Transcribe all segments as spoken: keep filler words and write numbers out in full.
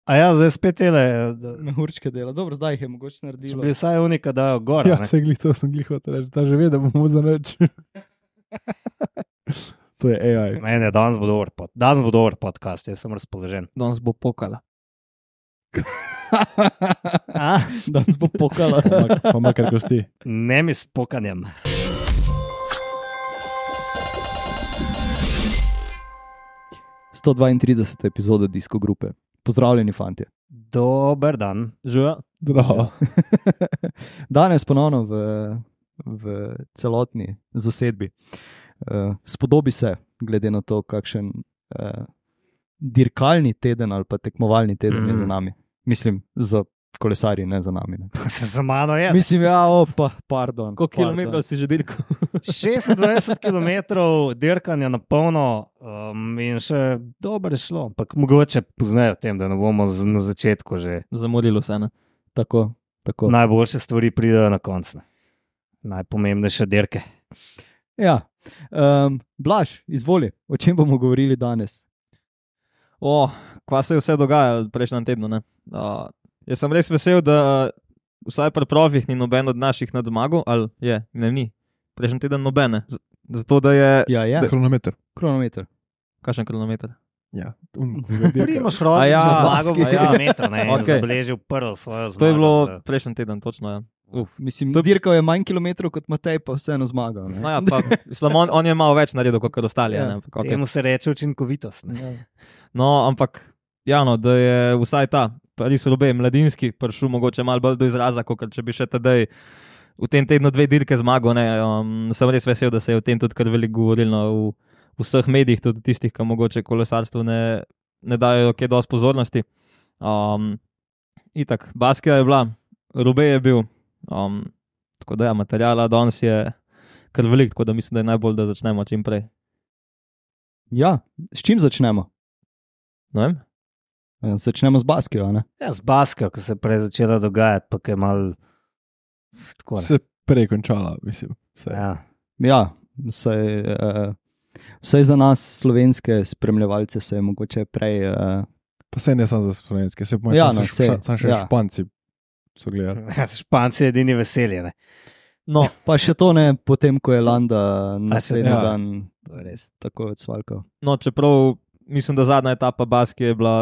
A ja, zdaj spet tele. Da... Mehurčke dela. Dobro, zdaj jih je mogoče Če naredilo. bi vsaj unika dajo gor. Ja, se glih, to sem glih hotel reči, da že ve, da bomo za nič. To je A I. Ne, ne, danes bo dober, pod... danes bo dober podcast, jaz sem razpoložen. Danes bo pokala. A? Danes bo pokala. Pa makar kosti. Ne mi s pokanjem. sto dvaintrideseta epizoda Disko grupe. Pozdravljeni, fantje. Dober dan. Živijo. Zdravo. Danes ponovno v, v celotni zasedbi. Uh, spodobi se, glede na to, kakšen uh, dirkalni teden ali pa tekmovalni teden mm. je za nami. Mislim, za kolesarji, ne za nami. Ne. Za mano je. Mislim, ja, opa, pardon. Koliko kilometrov si že dirkal? šestindvajset kilometrov dirkanja na polno um, in še dobro je šlo, ampak mogoče poznajo tem, da ne bomo z, na začetku že. Zamorilo se, ne? Tako, tako. Najboljše stvari pridejo na koncu. Najpomembnejše dirke. Ja, um, Blaž, izvoli, o čem bomo govorili danes? O, kva se je vse dogajalo prejšnjem tednu, ne? Uh, jaz sem res vesel, da uh, vsaj pri profih ni noben od naših nad zmago, ali je, ne, ni. Prejšnji teden nobene. Z zato, da je... Ja, ja. Kronometer. Kronometer. Kakšen kronometer? Ja. Primož Roglič ja, za zmago v ja. kilometru, ne, in Okay. zabeležil prvo svojo zmago. To je bilo da. prejšnji teden, točno, ja. Uf. Mislim, To je- dirkal je manj kilometrov kot Matej, pa vseeno zmagal. Ne? No ja, pa, mislim, on, on je malo več naredil, kot ostali, Ja. ja. ne? Ampak, okay. Temu se reče učinkovitost. Ne. No, ampak, ja, no, da je vsaj ta, Paris-Roubaix mladinski, prišel mogoče malo bolj do izraza, kot če bi še tedaj v tem tednu dve dirke zmagal, ne, um, sem res vesel, da se je o tem tudi kar veliko govorilo v, v vseh medijih, tudi tistih, ki mogoče kolesarstvu ne, ne dajo kaj dosti pozornosti. Um, itak, Baskija je bila, Roubaix je bil, um, tako da ja, materijala danes je kar veliko, tako da mislim, da je najbolj, da začnemo čim prej. Ja, s čim začnemo? Ne vem? Ja, začnemo z Baskijo, ne? Ja, z Baskijo, ko se je prej začela dogajati, pa je mal tako. Ne. Se prej končala, mislim. Se. Ja. Ja, vsaj, uh, vsaj za nas, slovenske spremljevalce, se je mogoče prej... Uh, Pa se ne samo za slovenske, se pomeni, Ja, ja, no, no, saj, še, sam še ja. ja. Španci so gledali. Španci je edini veselje. Ne. No, pa še to ne, potem, ko je Landa naslednji ja. dan To je res. tako odsvalkal. No, čeprav mislim, da zadnja etapa Baskije je bila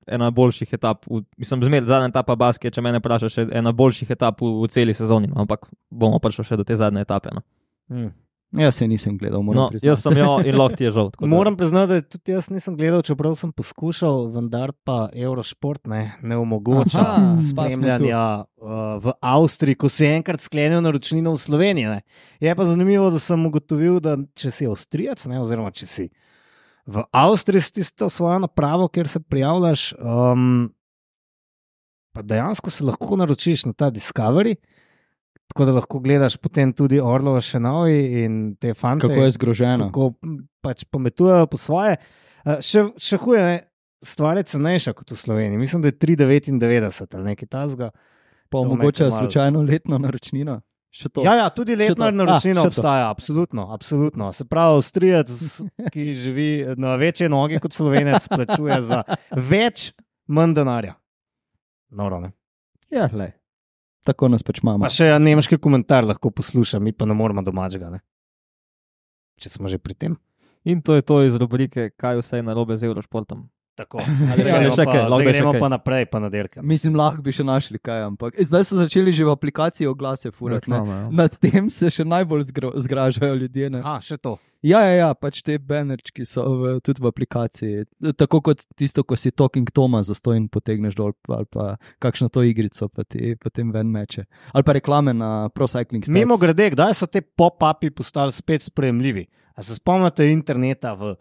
ena boljših etap, v, mislim, zmer zadnja etapa Baskije, če mene vprašaš, je ena boljših etap v, v celi sezoni, no, ampak bomo prišli še do te zadnje etape. No, Hmm. Jaz se nisem gledal, moram no priznati. jaz sem jo in lahko ti je žal. tako da- Moram priznati, da tudi jaz nisem gledal, čeprav sem poskušal, vendar pa Eurošport ne, ne omogoča Aha, pa smo spremljanja uh, v Avstriji, ko si enkrat sklenil naročnino v Sloveniji. Ne. Je pa zanimivo, da sem ugotovil, da če si Avstrijec, ne, oziroma če si v Avstriji s tisto svojo napravo, kjer se prijavljaš, um, pa dejansko se lahko naročiš na ta Discovery. Tako da lahko gledaš potem tudi Orlova Šenovi in te fante. Kako je zgroženo. Kako pač pometujejo po svoje. Uh, še, še huje, ne, stvar je cenejša kot v Sloveniji. Mislim, da je tri devetindevetdeset ali nekaj tasga. Pa to omogočajo me malo- slučajno letno naročnino. Še to. Ja, ja, tudi letna to. naročnina Ah, še to. obstaja, absolutno, absolutno. Se pravi, Avstrijec, ki živi na večje noge kot Slovenec, plačuje za več, manj denarja. Noro, ne. Ja, lej. Tako nas pač imamo. Pa še nemški komentar lahko posluša, mi pa ne moramo domačega, ne. Če smo že pri tem. In to je to iz rubrike, kaj vse je narobe z Eurošportom. Tako. Ali Zdaj še- ali gremo še pa, kaj, lahko zdaj da še gremo kaj. pa naprej, pa na dirke. Mislim, lahko bi še našli kaj, ampak zdaj so začeli že v aplikaciji oglase furati. ne. Reklama, ja. Nad tem se še najbolj zgro, zgražajo ljudje. Ne? Aha, še to. Ja, ja, ja, pač te banerčki so v, tudi v aplikaciji. Tako kot tisto, ko si Talking Toma zastojn potegneš dol, ali pa kakšno to igrico, pa ti potem ven meče. Ali pa reklame na Pro Cycling Stats. Mimo grede, kdaj so te pop-upi postali spet sprejemljivi? A se spomnite interneta v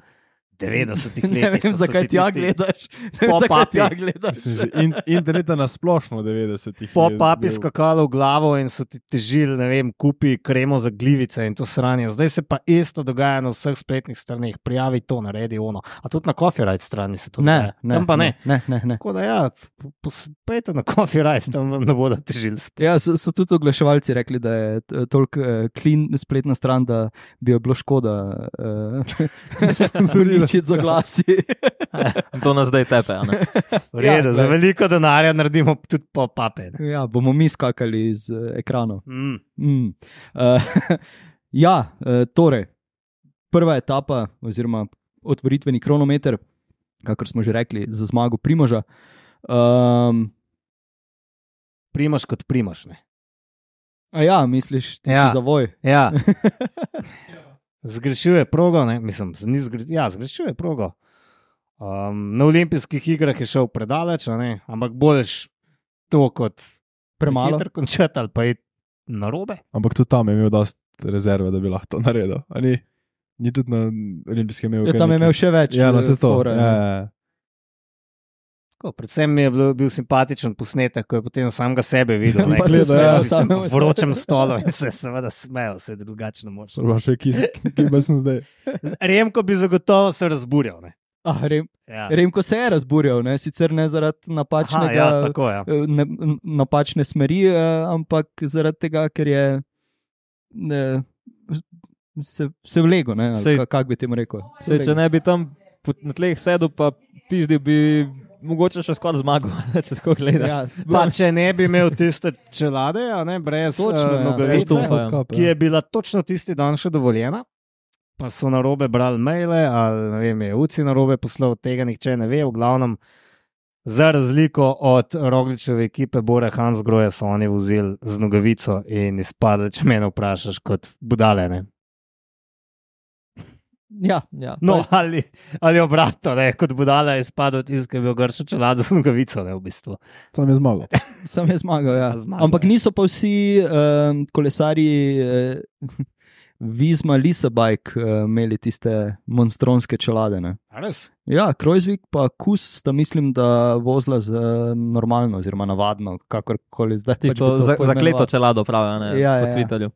devetdesetih letih? Ne vem, ko so zakaj ti ti ja tisti gledaš. Ne vem, zakaj pop-upi. ti ja gledaš. Mislim, že in, interneta na splošno v devetdesetih. je Pop-upi bil- skakali v glavo in so ti težili, ne vem, kupi kremo za glivice in to sranje. Zdaj se pa isto dogaja na vseh spletnih straneh. Prijavi to, naredi ono. A tudi na copyright strani se to Ne, dogaja. ne, Tam pa ne. ne, ne, ne. Tako da ja, pospejte na copyright, tam vam ne bodo težili. Ja, so, so tudi oglaševalci rekli, da je t- toliko uh, clean spletna stran, da bi jo bilo škoda uh, Sponzorirati. začeti z oglasi. To nas zdaj tepe. a ne? V redu, Ja, za glej. veliko denarja naredimo tudi po pape. ne. Ja, bomo mi skakali iz uh, ekranov. Mm. Mm. Uh, ja, uh, torej, prva etapa, oziroma otvoritveni kronometer, kakor smo že rekli, za zmago Primoža. Um, Primaš kot primaš. Ne? a ja, misliš, tisti Ja. zavoj? Ja. Zgrešil je progo, ne? mislim, ni zgre... ja, zgrešil je progo. Um, na olimpijskih igrah je šel predaleč, a ne? Ampak boljš to kot Premalo. hiter končati ali pa je narobe. Ampak tudi tam je imel dosti rezerve, da bi lahko to naredil. a Ni, ni tudi na olimpijskem imel. Ja, kar tam je nekaj- imel še več. Ja, no, eh, se to. fore, Ja, ne. ja, ja. Tako, predvsem mi je bil, bil simpatičen posnetek, ko je potem samega sebe videl. ne, Pa ko se je smeje na tistem samemu sebi. vročem stolu in se seveda smejal, se drugače ne moreš. Pa še ki, ki pa sem zdaj. Remko bi zagotovo se razburjal. Ne? Ah, Rem, Ja. Remko se je razburjal, ne? Sicer ne zaradi Aha, napačnega, ja, tako je. eh, ne, n- napačne smeri, eh, ampak zaradi tega, ker je ne, se, se vlego. Ne? ali Sej- ka- Kako bi temu rekel? Se Sej, če vlegel. ne bi tam po- na tleh sedel, pa pizdil, bi mogoče še skoraj zmagal, če tako gledaš. Ja, Pa če ne bi imel tiste čelade, a ne, brez Točno, uh, ja. nogavice, Štumfa, ja. Odkop, ki je bila točno tisti dan še dovoljena, pa so na robe brali maile, ali ne vem, je Uci na robe poslal, tega nihče ne ve, v glavnem. Za razliko od Rogličeve ekipe Bore Hansgrohe so oni vozili z nogavico in izpadli, če me vprašaš, kot budale. Ne? ja. Ja. No, ali, ali obratno, ne? Kot budala je izpadel tisti, ki je bil gršo čelado z nogavico, ne v bistvu. Sam je zmagal. Sam je zmagal. Ja. Zmagal, Ampak ja. niso pa vsi um, kolesarji uh, Vizma Lisabike uh, imeli tiste monstronske čelade. Ne? Res? Ja, Krojzvik pa Kus sta mislim, da vozila z uh, normalno, oziroma navadno, kakorkoli zdaj. pač bi Tisto to za, poimenoval. zakleto čelado pravijo ne, Ja, po ja, ja. Twitterju.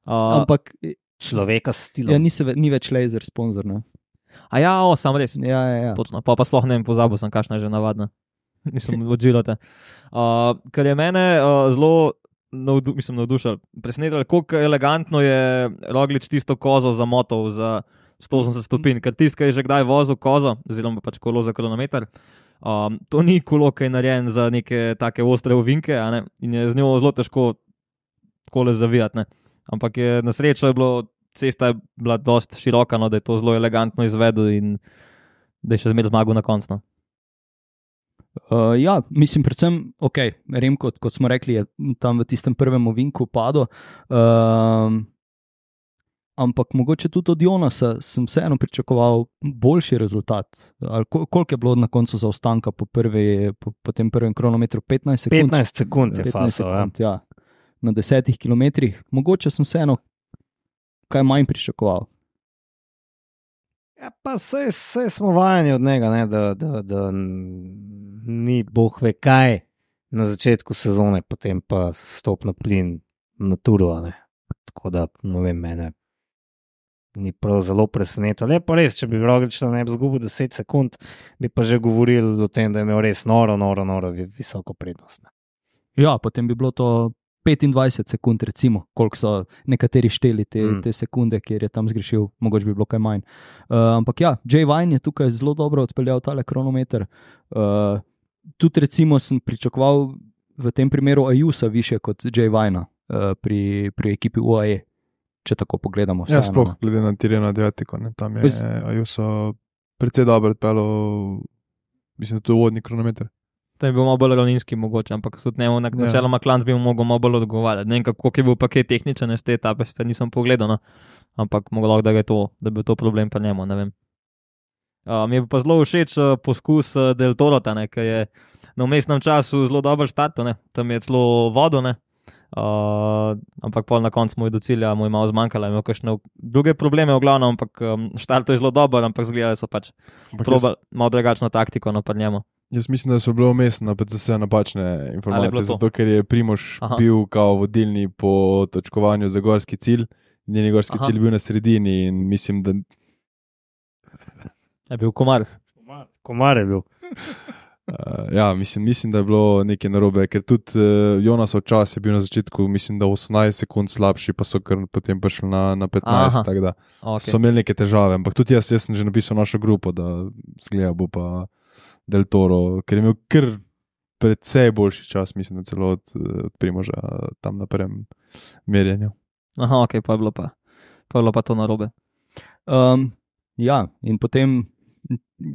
Uh, Ampak Človeka s stilom. ja, ni, se, ve- ni več laser sponzor. Ne? a ja, o, sam res. Ja, ja, ja. Točno, pa, pa sploh ne vem, pozabil sem, kakšna je že navadna. Mislim, odžilate. Uh, kar je mene uh, zelo navdu, mislim, navdušilo, presenetilo, kako elegantno je Roglič tisto kozo zamotal za sto osemdeset stopinj, ker tisti, ki je že kdaj vozil kozo, oziroma pač kolo za kronometer, um, to ni kolo, ki je narejen za neke take ostre ovinke, a ne, in je z njo zelo težko takole zavijati, ne. Ampak je na srečo je bilo, cesta je bila dosti široka, no, da je to zelo elegantno izvedel in da je še zmeraj zmagal na koncu. No. Uh, ja, mislim, predvsem, ok, Remko, kot smo rekli, je tam v tistem prvem ovinku padel. Um, ampak mogoče tudi od Jonasa sem vseeno pričakoval boljši rezultat. Ali kol- Koliko je bilo na koncu zaostanka po, prvi, po, po tem prvem kronometru? petnajst sekund. petnajst sekund je petnajst fasal. Ja. sekund, ja. Na desetih kilometrih. Mogoče sem vseeno kaj manj pričakoval. Ja, pa sej, sej smo vajeni od njega, ne, da, da, da n- ni boh ve kaj na začetku sezone, potem pa stop na plin na turu. a ne. Tako da, ne vem, mene ni prav zelo presenetilo. Je pa res, če bi Roglič tam ne bi izgubil deset sekund, bi pa že govorili o tem, da je imel res noro, noro, noro vi- visoko prednost. ne. Ja, potem bi bilo to petindvajset sekund, recimo, koliko so nekateri šteli te, Mm. mm. te sekunde, kjer je tam zgrešil, mogoče bi bilo kaj manj. Uh, ampak ja, Jay Vine je tukaj zelo dobro odpeljal tale kronometer. Uh, tudi recimo sem pričakoval v tem primeru Ajusa više kot Jay Vina uh, pri, pri ekipi U A E, če tako pogledamo. Ja, vseeno, sploh ne. glede na Tireno Adriatico. Ne, tam je Bez- Ajuso precej dobro odpeljal, mislim, da to je uvodni kronometer. To je bil malo bolj ravninski mogoče, ampak tudi njemu na Ja. načeloma Klant bi mu mogel malo bolj odgovarjati. Ne vem, kako je bil paket tehničen iz te etape, sicer nisem pogledal, no. Ampak moglo, da je to, da bi bil to problem pa njemu, ne vem. Uh, mi je pa zelo všeč uh, poskus uh, Del Torota, ne, ki je na vmesnem času zelo dobro štartal, ne. Tam je celo vodo, ne. Uh, ampak pol na koncu mu je do cilja, mu je malo zmanjkalo, imel kakšne druge probleme v glavnem, ampak um, štartal je zelo dober, ampak zgledali so pač Ampak probali malo drugačno taktiko, no, pa njemu. Jaz mislim, da so bile vmes na P C S napačne Ali je bilo informacije, to? zato ker je Primož Aha. bil kao vodilni po točkovanju za gorski cilj, njen gorski Aha. cilj je bil na sredini in mislim, da Je bil komar. Komar je bil. Uh, ja, mislim, mislim, da je bilo nekaj narobe, ker tudi uh, Jonasov čas je bil na začetku, mislim, da osemnajst sekund slabši, pa so kar potem prišli na, na petnajst, Aha. tako da Okay. so imeli neke težave. Ampak tudi jaz, jaz sem že napisal našo grupo, da zgleda bo pa Del Toro, ker je imel kar precej boljši čas, mislim, da celo od, od Primoža tam na prvem merjenju. Aha, ok, pa je bilo pa, pa, je bilo pa to narobe. Um, ja, in potem,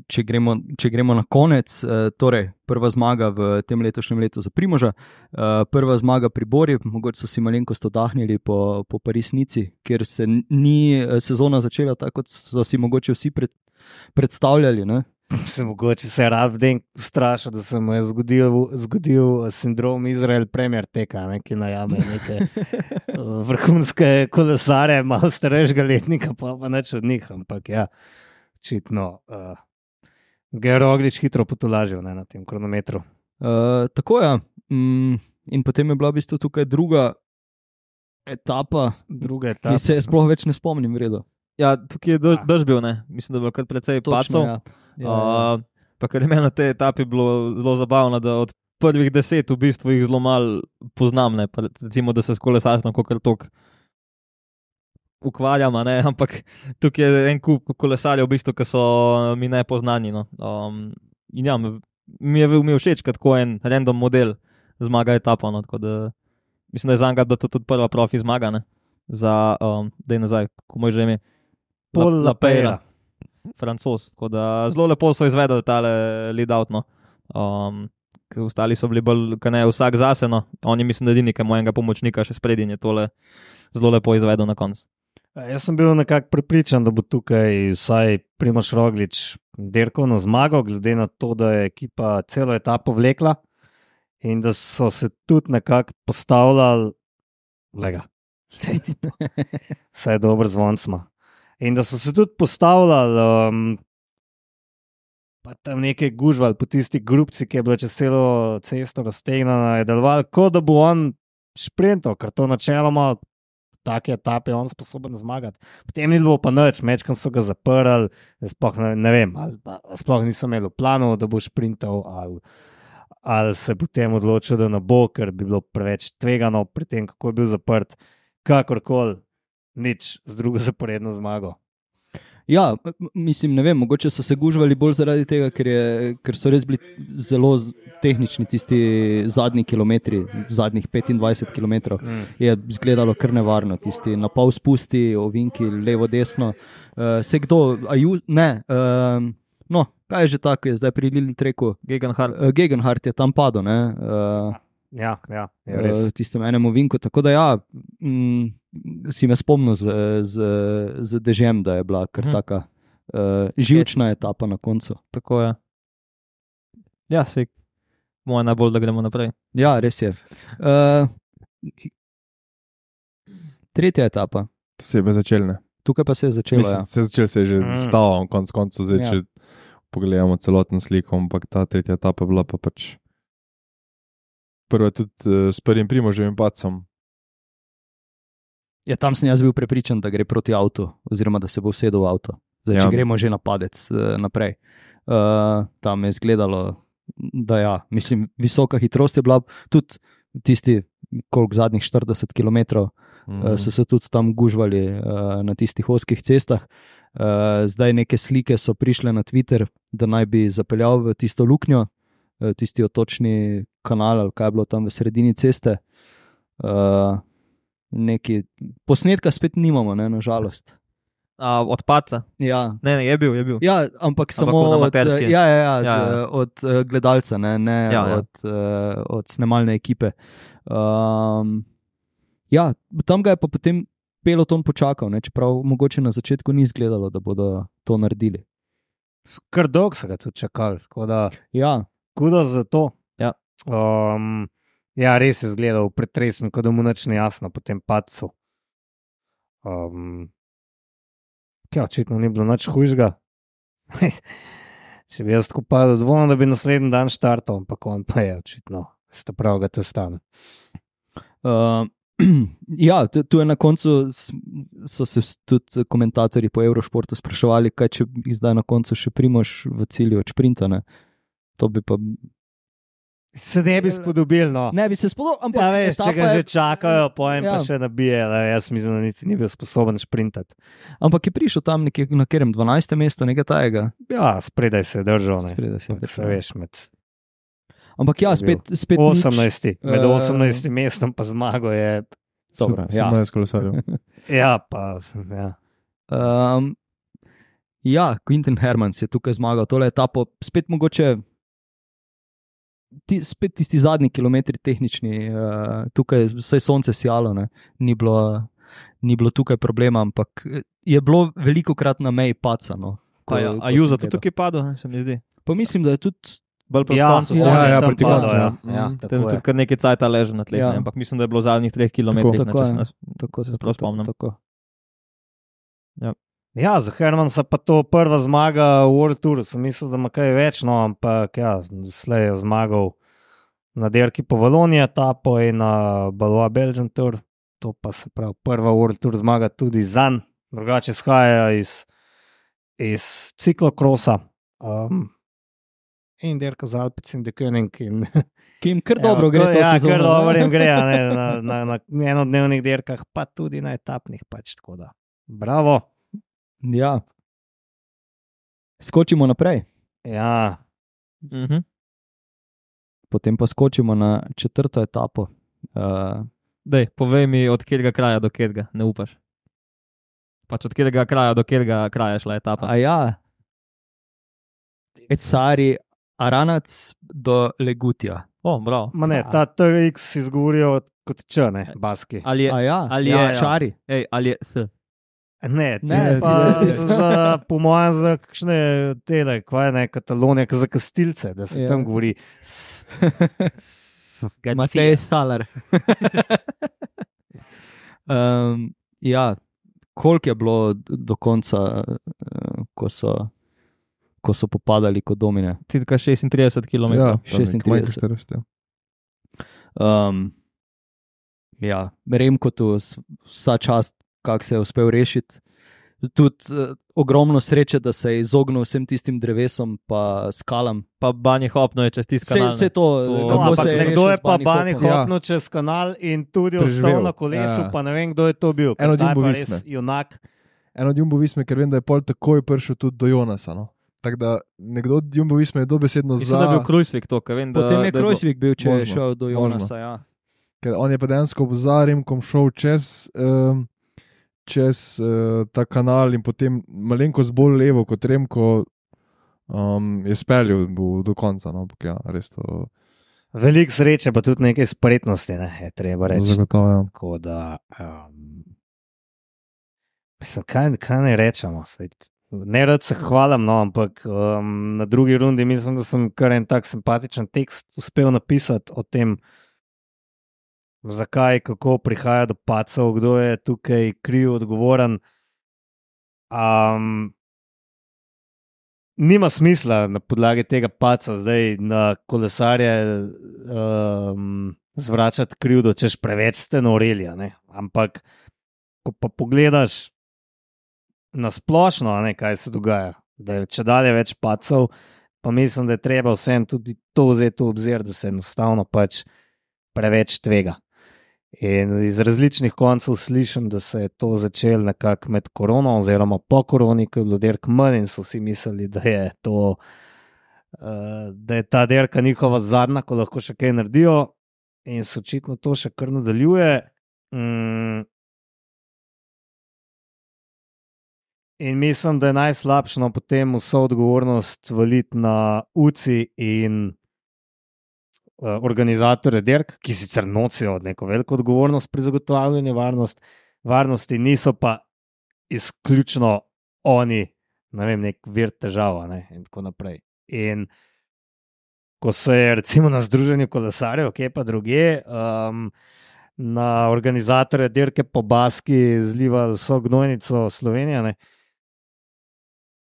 če gremo, če gremo na konec, uh, torej prva zmaga v tem letošnjem letu za Primoža, uh, prva zmaga pri Bori, mogoče so si malenkost oddahnili po, po Paris-Nici, kjer se ni uh, sezona začela tako, kot so si mogoče vsi pred, predstavljali. Ne? Se mogoče se Ravden strašil, da se mu je zgodil, zgodil sindrom Izrael Premier teka, ne, ki najame neke uh, vrhunske kolesare, malo starejšega letnika, pa pa neč od njih, ampak ja, očitno uh, ga je Roglič hitro potolažil ne, na tem kronometru. Uh, tako je. Mm, in potem je bila v bistvu tukaj druga etapa, Druga ki etapa. se sploh več ne spomnim vredo. Ja, tukaj je dež, Ah. dež bil, ne? Mislim, da je bilo kar precej pacov. ja. Ja, ja. Uh, pa kar je meni na tej etapi bilo zelo zabavno, da od prvih deset v bistvu jih zelo malo poznam, ne? Pa recimo, da se s kolesarstvom kakor tok ukvarjam, a ne, ampak tukaj je en kup kolesarjev, v bistvu, ki so mi nepoznani. No. Um, in ja, mi mi je, mi je všeč, kot ko en random model zmaga etapo. No, tako da mislim, da je za njega bila to tudi prva profi zmaga, ne, za, um, da je nazaj, kako mu je že ime. Pol La- Lapera. Lapera. Francoz. Tako da zelo lepo so izvedli tale lead out. No. Um, ker ostali so bili bolj, kaj ne, vsak zase. No. On je, mislim, da edini, ki ima enega pomočnika še sprednji, je tole zelo lepo izvedel na koncu. Jaz sem bil nekako prepričan, da bo tukaj vsaj Primož Roglič dirkal na zmago, glede na to, da je ekipa celo etapo vlekla in da so se tudi nekako postavljali, lega, vse je dobro zvoncma. In da so se tudi postavljali, um, pa tam nekaj gužvali po tisti grupci, ki je bila čez celo cesto raztegnjena, je deloval, kot da bo on šprintal, ker to načeloma take etape je on sposoben zmagati. Potem ni bilo pa nič, mečkam so ga zaprli, sploh ne, ne vem, ali pa sploh nisem imel v planu, da bo šprintal, ali, ali se potem odločil, da ne bo, ker bi bilo preveč tvegano pri tem, kako je bil zaprt, kakorkoli, nič z drugo zaporedno zmago. Ja, m- mislim, ne vem, mogoče so se gužvali bolj zaradi tega, ker, je, ker so res bili zelo z- tehnični tisti zadnji kilometri, zadnjih petindvajset kilometrov. Mm. Je izgledalo kar nevarno, tisti na pol spusti, ovinki, levo, desno. Uh, se kdo, aju, ne, uh, no, kaj je že tako, je zdaj pri Lili Treku. Gegenhardt. Uh, Gegenhardt je tam padel, ne, uh, Ja, ja, je res. uh, tistem enem ovinku. Tako da ja, mm, si me spomnil z, z, z dežjem, da je bila kar Mhm. taka uh, živčna etapa na koncu. Tako je. Ja, se moja najbolj, da gremo naprej. Ja, res je. Uh, tretja etapa, To se je začelo, ne? tukaj pa se je začela. Mislim, Ja. se je začelo, se je že Mm. stavil, konc koncev, zdaj, Ja. če pogledamo celotno sliko, ampak ta tretja etapa je bila pa pač prva tudi uh, s prvim Primoževim padcem. Ja, tam sem jaz bil prepričan, da gre proti avtu, oziroma da se bo usedel v avto. Zdaj, če Ja. gremo že na padec uh, naprej. Uh, tam je izgledalo, da ja, mislim, visoka hitrost je bila, tudi tisti, koliko zadnjih štirideset kilometrov, Mm. uh, so se tudi tam gužvali uh, na tistih ozkih cestah. Uh, zdaj neke slike so prišle na Twitter, da naj bi zapeljal v tisto luknjo, uh, tisti otočni kanal, ali kaj je bilo tam v sredini ceste. Uh, neki posnetka spet nimamo, ne, nažalost. A, od paca. Ja. Ne, ne, je bil, je bil. Ja, ampak samo on od, amaterski. ja, ja, ja, Ja, ja. ja. od uh, gledalca, ne, ne Ja, ja. Od, uh, od snemalne ekipe. Um, ja, tam ga je pa potem peloton počakal, ne, čeprav mogoče na začetku ni izgledalo, da bodo to naredili. Kar dolgo so ga tudi čakali, tako da Ja, kudo za to. Ja. Um, ja, res je izgledal pretresen, kot da mu nič ni jasno po tem padcu. Um, ja, očitno ni bilo nič hujšega. Če bi jaz tako padel, zvonil, da bi naslednji dan štartal, ampak on pa je očitno, ste prav, ga to stane. uh, ja tu, tu je na koncu, s- so se s- tudi komentatorji po Eurošportu spraševali, kaj če bi zdaj na koncu še Primož v cilju od šprinta. Ne? To bi pa... Se ne bi spodobil, no. Ne bi se spodobal, ampak... Ja, veš, če ga etapa je- že čakajo, pojem Ja. pa še nabije, da jaz mislim, da niti ni bil sposoben šprintati. Ampak je prišel tam nekje na katerem dvanajstem mestu, nekaj tajega. Ja, spredaj se je držal, ne. Spredaj se je Ampak držal. se veš, med Ampak ja, je bil spet, spet nič. osemnajstim, med Eh, osemnajstim mestom pa zmago je, Dobro, ja. sedemnajst kolesarjev. ja, pa, ja. Um, ja, Quinten Hermans je tukaj zmagal tole etapo, spet mogoče ti, spet tisti zadnji kilometri tehnični, uh, tukaj vse sonce sijalo, ne. Ni bilo, ni bilo tukaj problema, ampak je bilo veliko krat na meji paca. No, ko- Pa ja, ko a Juzo sem to gledal. tukaj padlo, ne, se mi zdi. Pa mislim, da je tudi Bolj proti Ja, koncu. ja, sezone. ja, tam proti padlo, koncu, ja. ja. Ja, Mm. Tam tako tudi je. kar nekaj cajta leže na tleh, Ja. ne, ampak mislim, da je bilo v zadnjih treh kilometrih. Tako ne, če je. se nas- tako se prav spomnim. Tako. Ja, za Hermansa pa to prva zmaga v World Tour, sem mislil, da ima kaj več, no, ampak ja, slej je zmagal na dirki po Valoniji etapo in na Balboa Belgium Tour, to pa se pravi prva World Tour zmaga tudi zanj, drugače izhaja iz, iz ciklokrosa um, in dirka z Alpec in Dekönig in Ki jim kar dobro gre to ja, sezono. kar ne? dobro jim gre, a ne, na, na, na enodnevnih dirkah, pa tudi na etapnih pač, tako da, bravo. Ja. Skočimo naprej, Ja, Mhm. potem pa skočimo na četrto etapo. Uh, Dej, povej mi, od katerega kraja do katerega, ne upaš. Pač od katerega kraja do katerega kraja je šla etapa. a ja, Ecari Aranac do Legutija. O, bravo. ma ne, Ja. ta T X izgovorijo kot č, ne, baski. Ali je, A ja, ali ja, je- Čari. ej, ali je th. Ne, Ne, ne pa tiste- tiste. za, po mojem, za kakšne tele, kaj ne, Katalonija, za kastilce, da se Ja. ja. tam govori. Matej Salar. um, ja, koliko je bilo d- do konca, uh, ko, so, ko so popadali kot domine? Cirka šestintrideset kilometrov. Ja, šestintrideset. šestintrideset. Um, ja, Remko tu s- vsa čast, kako se je uspel rešiti. Tudi uh, ogromno sreče, da se je izognil vsem tistim drevesom pa skalam. Pa Bani Hopno je čez tisti Vse, kanal. vse ne. to, To- kako No, ampak se je nekdo rešil je z pa Bani Bani Hopom. Ja. hopnil čez kanal in tudi Preživel. ostal na kolesu, Ja. pa ne vem, kdo je to bil. ker En od ta je Jumbo pa Visme. res Junak. En od Jumbo Visme, ker vem, da je pol takoj prišel tudi do Jonasa. No? Tako da nekdo od Jumbo Visme je dobesedno Mislim, za. da je bil Krujsvik to, ker vem, da, Potem je da bilo- Krojsvik bil, če je Možno, šel do možno. Jonasa. Ja. Ker on je pa dejansko za Remkom šel čez, um, čez uh, ta kanal in potem malenkost bolj levo kot Remko um, je speljal bo do konca. No? Ampak ja, res to Veliko sreče, pa tudi nekaj spretnosti, ne, je treba reči. zagotovo. Tako da, um, mislim, kaj, kaj ne rečemo. Saj, ne rad se hvalim, no, ampak um, na drugi rundi mislim, da sem kar en tak simpatičen tekst uspel napisati o tem, zakaj, kako prihaja do pacev, kdo je tukaj kriv, odgovoren. Um, nima smisla na podlagi tega paca zdaj na kolesarje um, zvračati krivdo, češ preveč ste noreli. a ne. Ampak, ko pa pogledaš na splošno, a ne, kaj se dogaja, da je če dalje več pacov, pa mislim, da je treba vsem tudi to vzeti v obzir, da se enostavno pač preveč tvega. In iz različnih koncev slišim, da se je to začelo nekako med korono, oziroma po koroni, ko je bilo dirk manj in so si mislili, da je, to, uh, da je ta dirka njihova zadnja, ko lahko še kaj naredijo, in se očitno to še kar nadaljuje. Mm. In mislim, da je najslabše no, potem vso odgovornost valiti na U C I in uh, organizatorje dirk, ki sicer nosijo neko veliko odgovornost pri zagotavljanju varnost, varnosti, niso pa izključno oni, ne vem, nek vir težava ne, in tako naprej. In ko se je recimo na Združenju kolesarjev, kje pa druge, um, na organizatorje dirke po Baski zlivali vso gnojnico Slovenije, ne,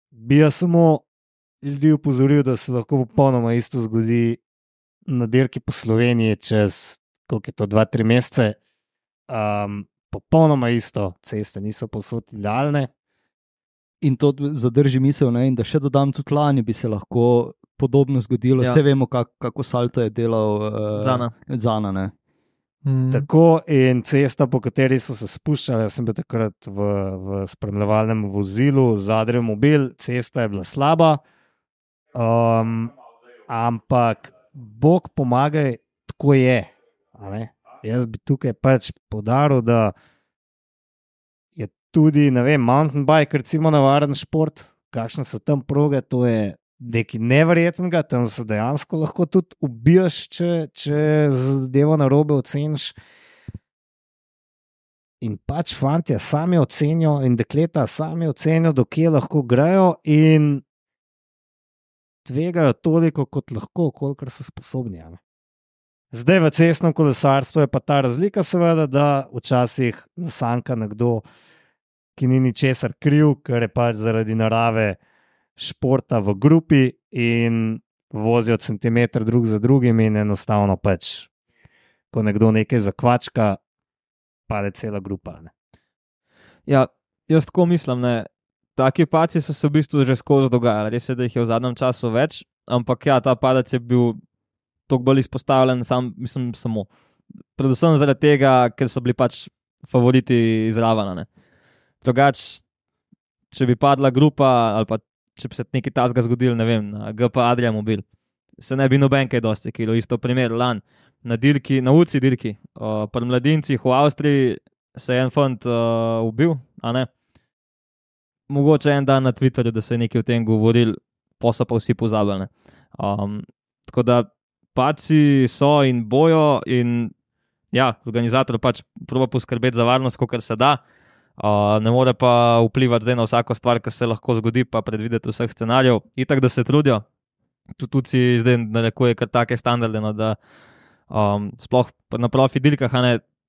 bi jaz samo ljudi upozoril, da se lahko popolnoma isto zgodi na dirki po Sloveniji čez, koliko je to, dva, tri mesece. Um, popolnoma isto, ceste niso povsod idealne. In to zadrži misel, ne, in da še dodam, tudi lani bi se lahko podobno zgodilo. Ja. Vse vemo, kak, kako salto je delal uh, Zana. Zana ne. Mm. Tako in cesta, po kateri so se spuščali, jaz sem bil takrat v, v spremljevalnem vozilu, zadnji mobil, cesta je bila slaba, um, ampak Bog pomagaj, tako je. a ne. Jaz bi tukaj pač poudaril, da je tudi, ne vem, mountain bike, recimo navaren šport, kakšne so tam proge, to je nekaj neverjetnega, tam se dejansko lahko tudi ubijaš, če, če zadevo na robe oceniš. In pač fantje sami ocenijo in dekleta sami ocenijo, dokje lahko grejo in tvegajo toliko, kot lahko, kolikor so sposobni. Ne? Zdaj v cestnem kolesarstvu je pa ta razlika, seveda, da včasih zasanka nekdo, ki ni ničesar kriv, ker je pač zaradi narave športa v grupi in vozijo centimeter drug za drugim in enostavno pač, ko nekdo nekaj zakvačka, pade cela grupa. Ne. Ja, jaz tako mislim, ne. Taki paci so se v bistvu že skozi dogajali, res je, da jih je v zadnjem času več, ampak ja, ta padec je bil toliko bolj izpostavljen, sam, mislim, samo. Predvsem zaradi tega, ker so bili pač favoriti izravana. Drugač, če bi padla grupa ali pa če bi se nekaj tazga zgodil, ne vem, na G P Adria mobil, se ne bi noben kaj dosti kilo. Isto primer, lan, na dirki, na U C I dirki, uh, pri mladincih v Avstriji se je en fant uh, ubil, a ne? Mogoče en dan na Twitterju, da se je nekaj o tem govoril, pa so pa vsi pozabili. Um, tako da paci so in bojo in ja, organizator pač proba poskrbeti za varnost, kolikor se da. Uh, ne more pa vplivati zdaj na vsako stvar, ki se lahko zgodi, pa predvideti vseh scenarijev. Itak, da se trudijo. Tudi si zdaj narekuje kar take standarde, no, da um, sploh na profi dirkah,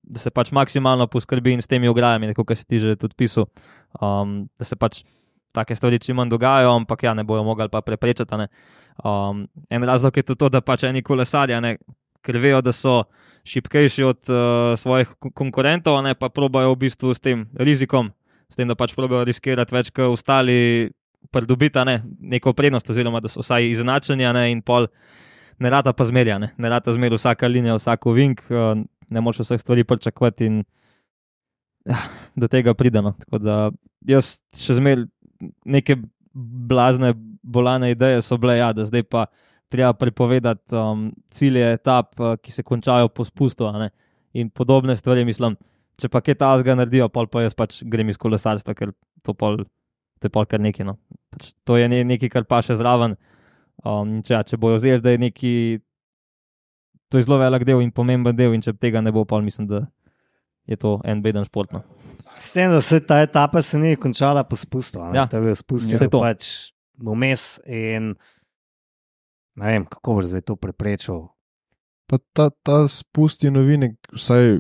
da se pač maksimalno poskrbi in s temi ograjami, nekako, kar si ti že tudi pisal, um, da se pač take stvari čim manj dogajajo, ampak ja, ne bojo mogli pa preprečati. Ne. Um, en razlog je tudi to, da pač eni kolesarji, ne, ker vejo, da so šibkejši od uh, svojih konkurentov, ne, pa probajo v bistvu s tem rizikom, s tem, da pač probajo riskirati več, kot ostali pridobiti ne, neko prednost, oziroma da so vsaj izenačeni ne, in pol ne rata pa zmerja, ne, ne rata zmerja vsaka linija, vsako vink, uh, ne moč vseh stvari pričakovati in ja, do tega prideno. Tako da jaz še zmer neke blazne, bolane ideje so bile, ja, da zdaj pa treba prepovedati um, cilje etap, uh, ki se končajo po spustu, ne? In podobne stvari, mislim, če pa kaj tazga naredijo, pol pa jaz pač grem iz kolesarstva, ker to pol, to je pol kar nekaj, no. Pač to je ne, nekaj, kar pa še zraven. Um, če, ja, če bojo zdaj, da je neki, to je zelo velik del in pomemben del in če tega ne bo, pol mislim, da je to en beden šport, no. S tem, da se ta etapa se ni končala po spustu, ne? Ja, to je bil spust, vse to. Pač vmes in ne vem, kako boš zdaj to preprečil. Pa ta, ta spust je novinek, vsaj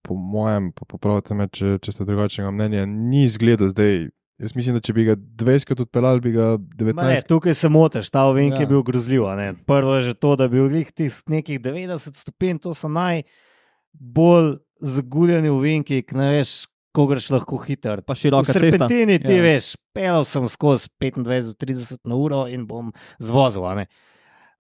po mojem, pa popravite me, če, če ste drugačnega mnenja, ni izgledal zdaj. Jaz mislim, da če bi ga dvajsetkrat odpeljali, bi ga devetnajst. Ne, tukaj se motiš, ta ovink Ja. je bil grozljiv. Ne? Prvo je že to, da bi bil tih nekih devetdeset stopinj, to so najbolj zaguljeni ovinki, ki ne veš, ko greš lahko hiter. Pa V široka cesta. serpentini ti Ja. veš, pelal sem skozi petindvajset do trideset na uro in bom zvozil. a ne.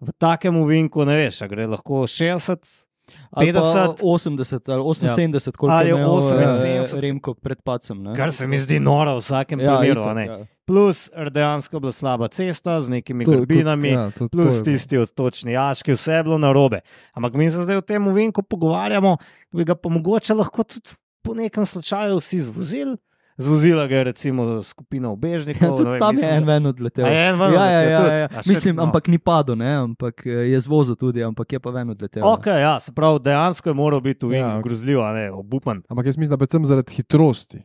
V takem ovinku ne veš, a gre lahko šestdeset, Ali pa petdeset, osemdeset ali oseminsedemdeset, koliko Ali je imel oseminsedemdeset. eh, Remko pred pacem. Ne? kar se mi zdi noro v vsakem Ja, primeru. itak, a ne. ja. Plus dejansko bila slaba cesta z nekimi To- grbinami. ja, to- to Plus je bilo. tisti odtočni jaški, vse je bilo narobe. Ampak mi se zdaj o tem ovinku pogovarjamo, da bi ga pa mogoče lahko tudi po nekem slučaju vsi zvozili. Zvozila ga je recimo skupina ubežnikov. Ja, tudi ne vem, tam je mislim, en da- ven odletel. A je en ven ja, ja, odletel ja, tudi? ja. A še- Mislim, no. ampak ni padel, ne? Ampak eh, je zvozil tudi, ampak je pa ven odletel. Ok, ja, se pravi, dejansko je moral biti ovink Ja. ja. grozljiv, a ne, obupan. Ampak jaz mislim, da predvsem zaradi hitrosti.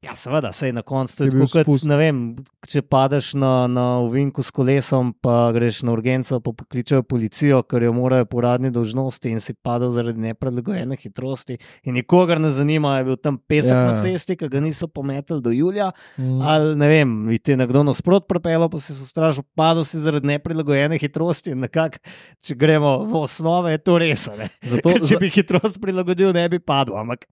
Ja, seveda, sej na koncu to je Je bil tako, kot, spust. ne vem, če padeš na, na ovinku s kolesom, pa greš na urgenco, pa pokličejo policijo, ker jo morajo po uradni dolžnosti in si padel zaradi neprilagojene hitrosti in nikogar ne zanima, je bil tam pesek Ja. ja. na cesti, ki ga niso pometali do julija, Mm. ali ne vem, bi ti nekdo nasprot prepelo, pa si se strašil, padel si zaradi neprilagojene hitrosti in nekako, če gremo v osnove, je to res, a ne. Zato, Ker če bi hitrost prilagodil, ne bi padel, ampak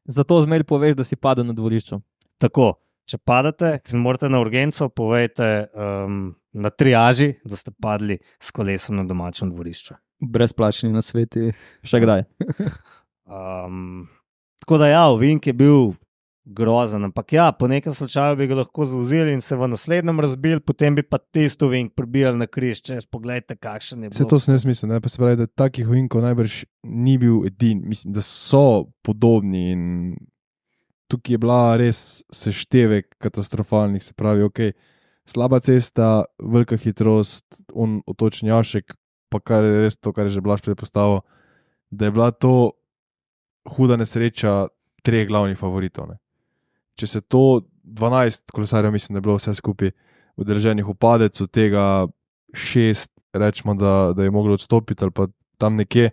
zato zmeraj poveš, da si padel na dvorišču. tako. če padete, se morate na urgenco, povejte um, na triaži, da ste padli s kolesom na domačem dvorišču. Brezplačni na sveti. Še kdaj? Um, tako da ja, ovink je bil grozen, ampak ja, po nekem slučaju bi ga lahko zauzeli in se v naslednjem razbil, potem bi pa tisto ovink prebijali na križ, če pogledajte, kakšen je bil. Vse to sem jaz mislil, ne? Pa se pravi, da takih ovinkov najbrž ni bil edin, mislim, da so podobni in tukaj je bila res seštevek katastrofalnih, se pravi, ok, slaba cesta, velika hitrost, un otočni jašek, pa kar je res to, kar je že Blaž predpostavil, da je bila to huda nesreča treh glavnih favoritov. Ne? Če se to dvanajst kolesarjev, mislim, da je bilo vse skupaj udeleženih v padec, od tega šest, rečemo, da, da je moglo odstopiti ali pa tam nekje,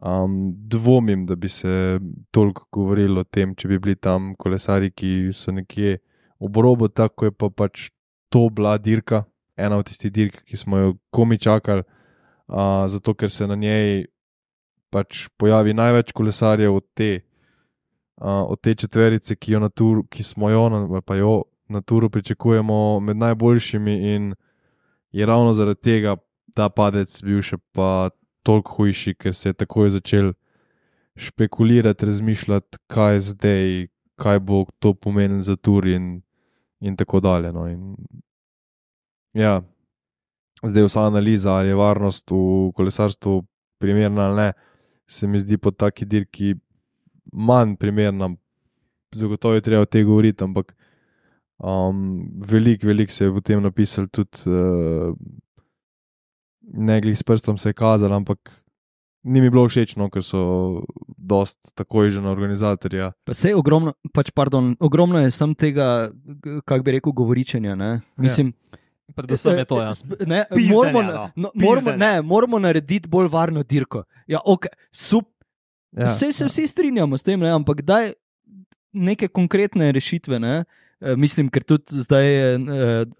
um, dvomim, da bi se toliko govorilo o tem, če bi bili tam kolesari, ki so nekje ob robu, tako je pa pač to bila dirka, ena od tistih dirk, ki smo jo komi čakali, uh, zato ker se na njej pač pojavi največ kolesarjev od te Uh, od te četverice, ki, jo na tur, ki smo jo, na, pa jo na turu pričakujemo med najboljšimi in je ravno zaradi tega ta padec bil še pa toliko hujši, ker se je takoj začel špekulirati, razmišljati, kaj zdaj, kaj bo to pomenilo za tur in, in tako dalje. No. In, ja, zdaj vsa analiza, ali je varnost v kolesarstvu primerna ali ne, se mi zdi po taki dirki manj primerna, zagotovo je treba o tej govoriti, ampak um, veliko, veliko se je v tem napisal tudi, uh, ne glih s prstom se je kazalo, ampak ni mi bilo všečno, ker so dost takoj že na organizatorja. Pa sej ogromno, pač pardon, ogromno je sam tega, kak bi rekel, govoričenja, ne? Mislim, predvsem je to, ja. Ne, Pizdenja, moramo, no. no, moramo, Pizdenja. ne, moramo narediti bolj varno dirko. Ja, ok, super. Ja. Vse se vsi strinjamo s tem, ne? Ampak daj neke konkretne rešitve. Ne? E, mislim, ker tudi zdaj, e,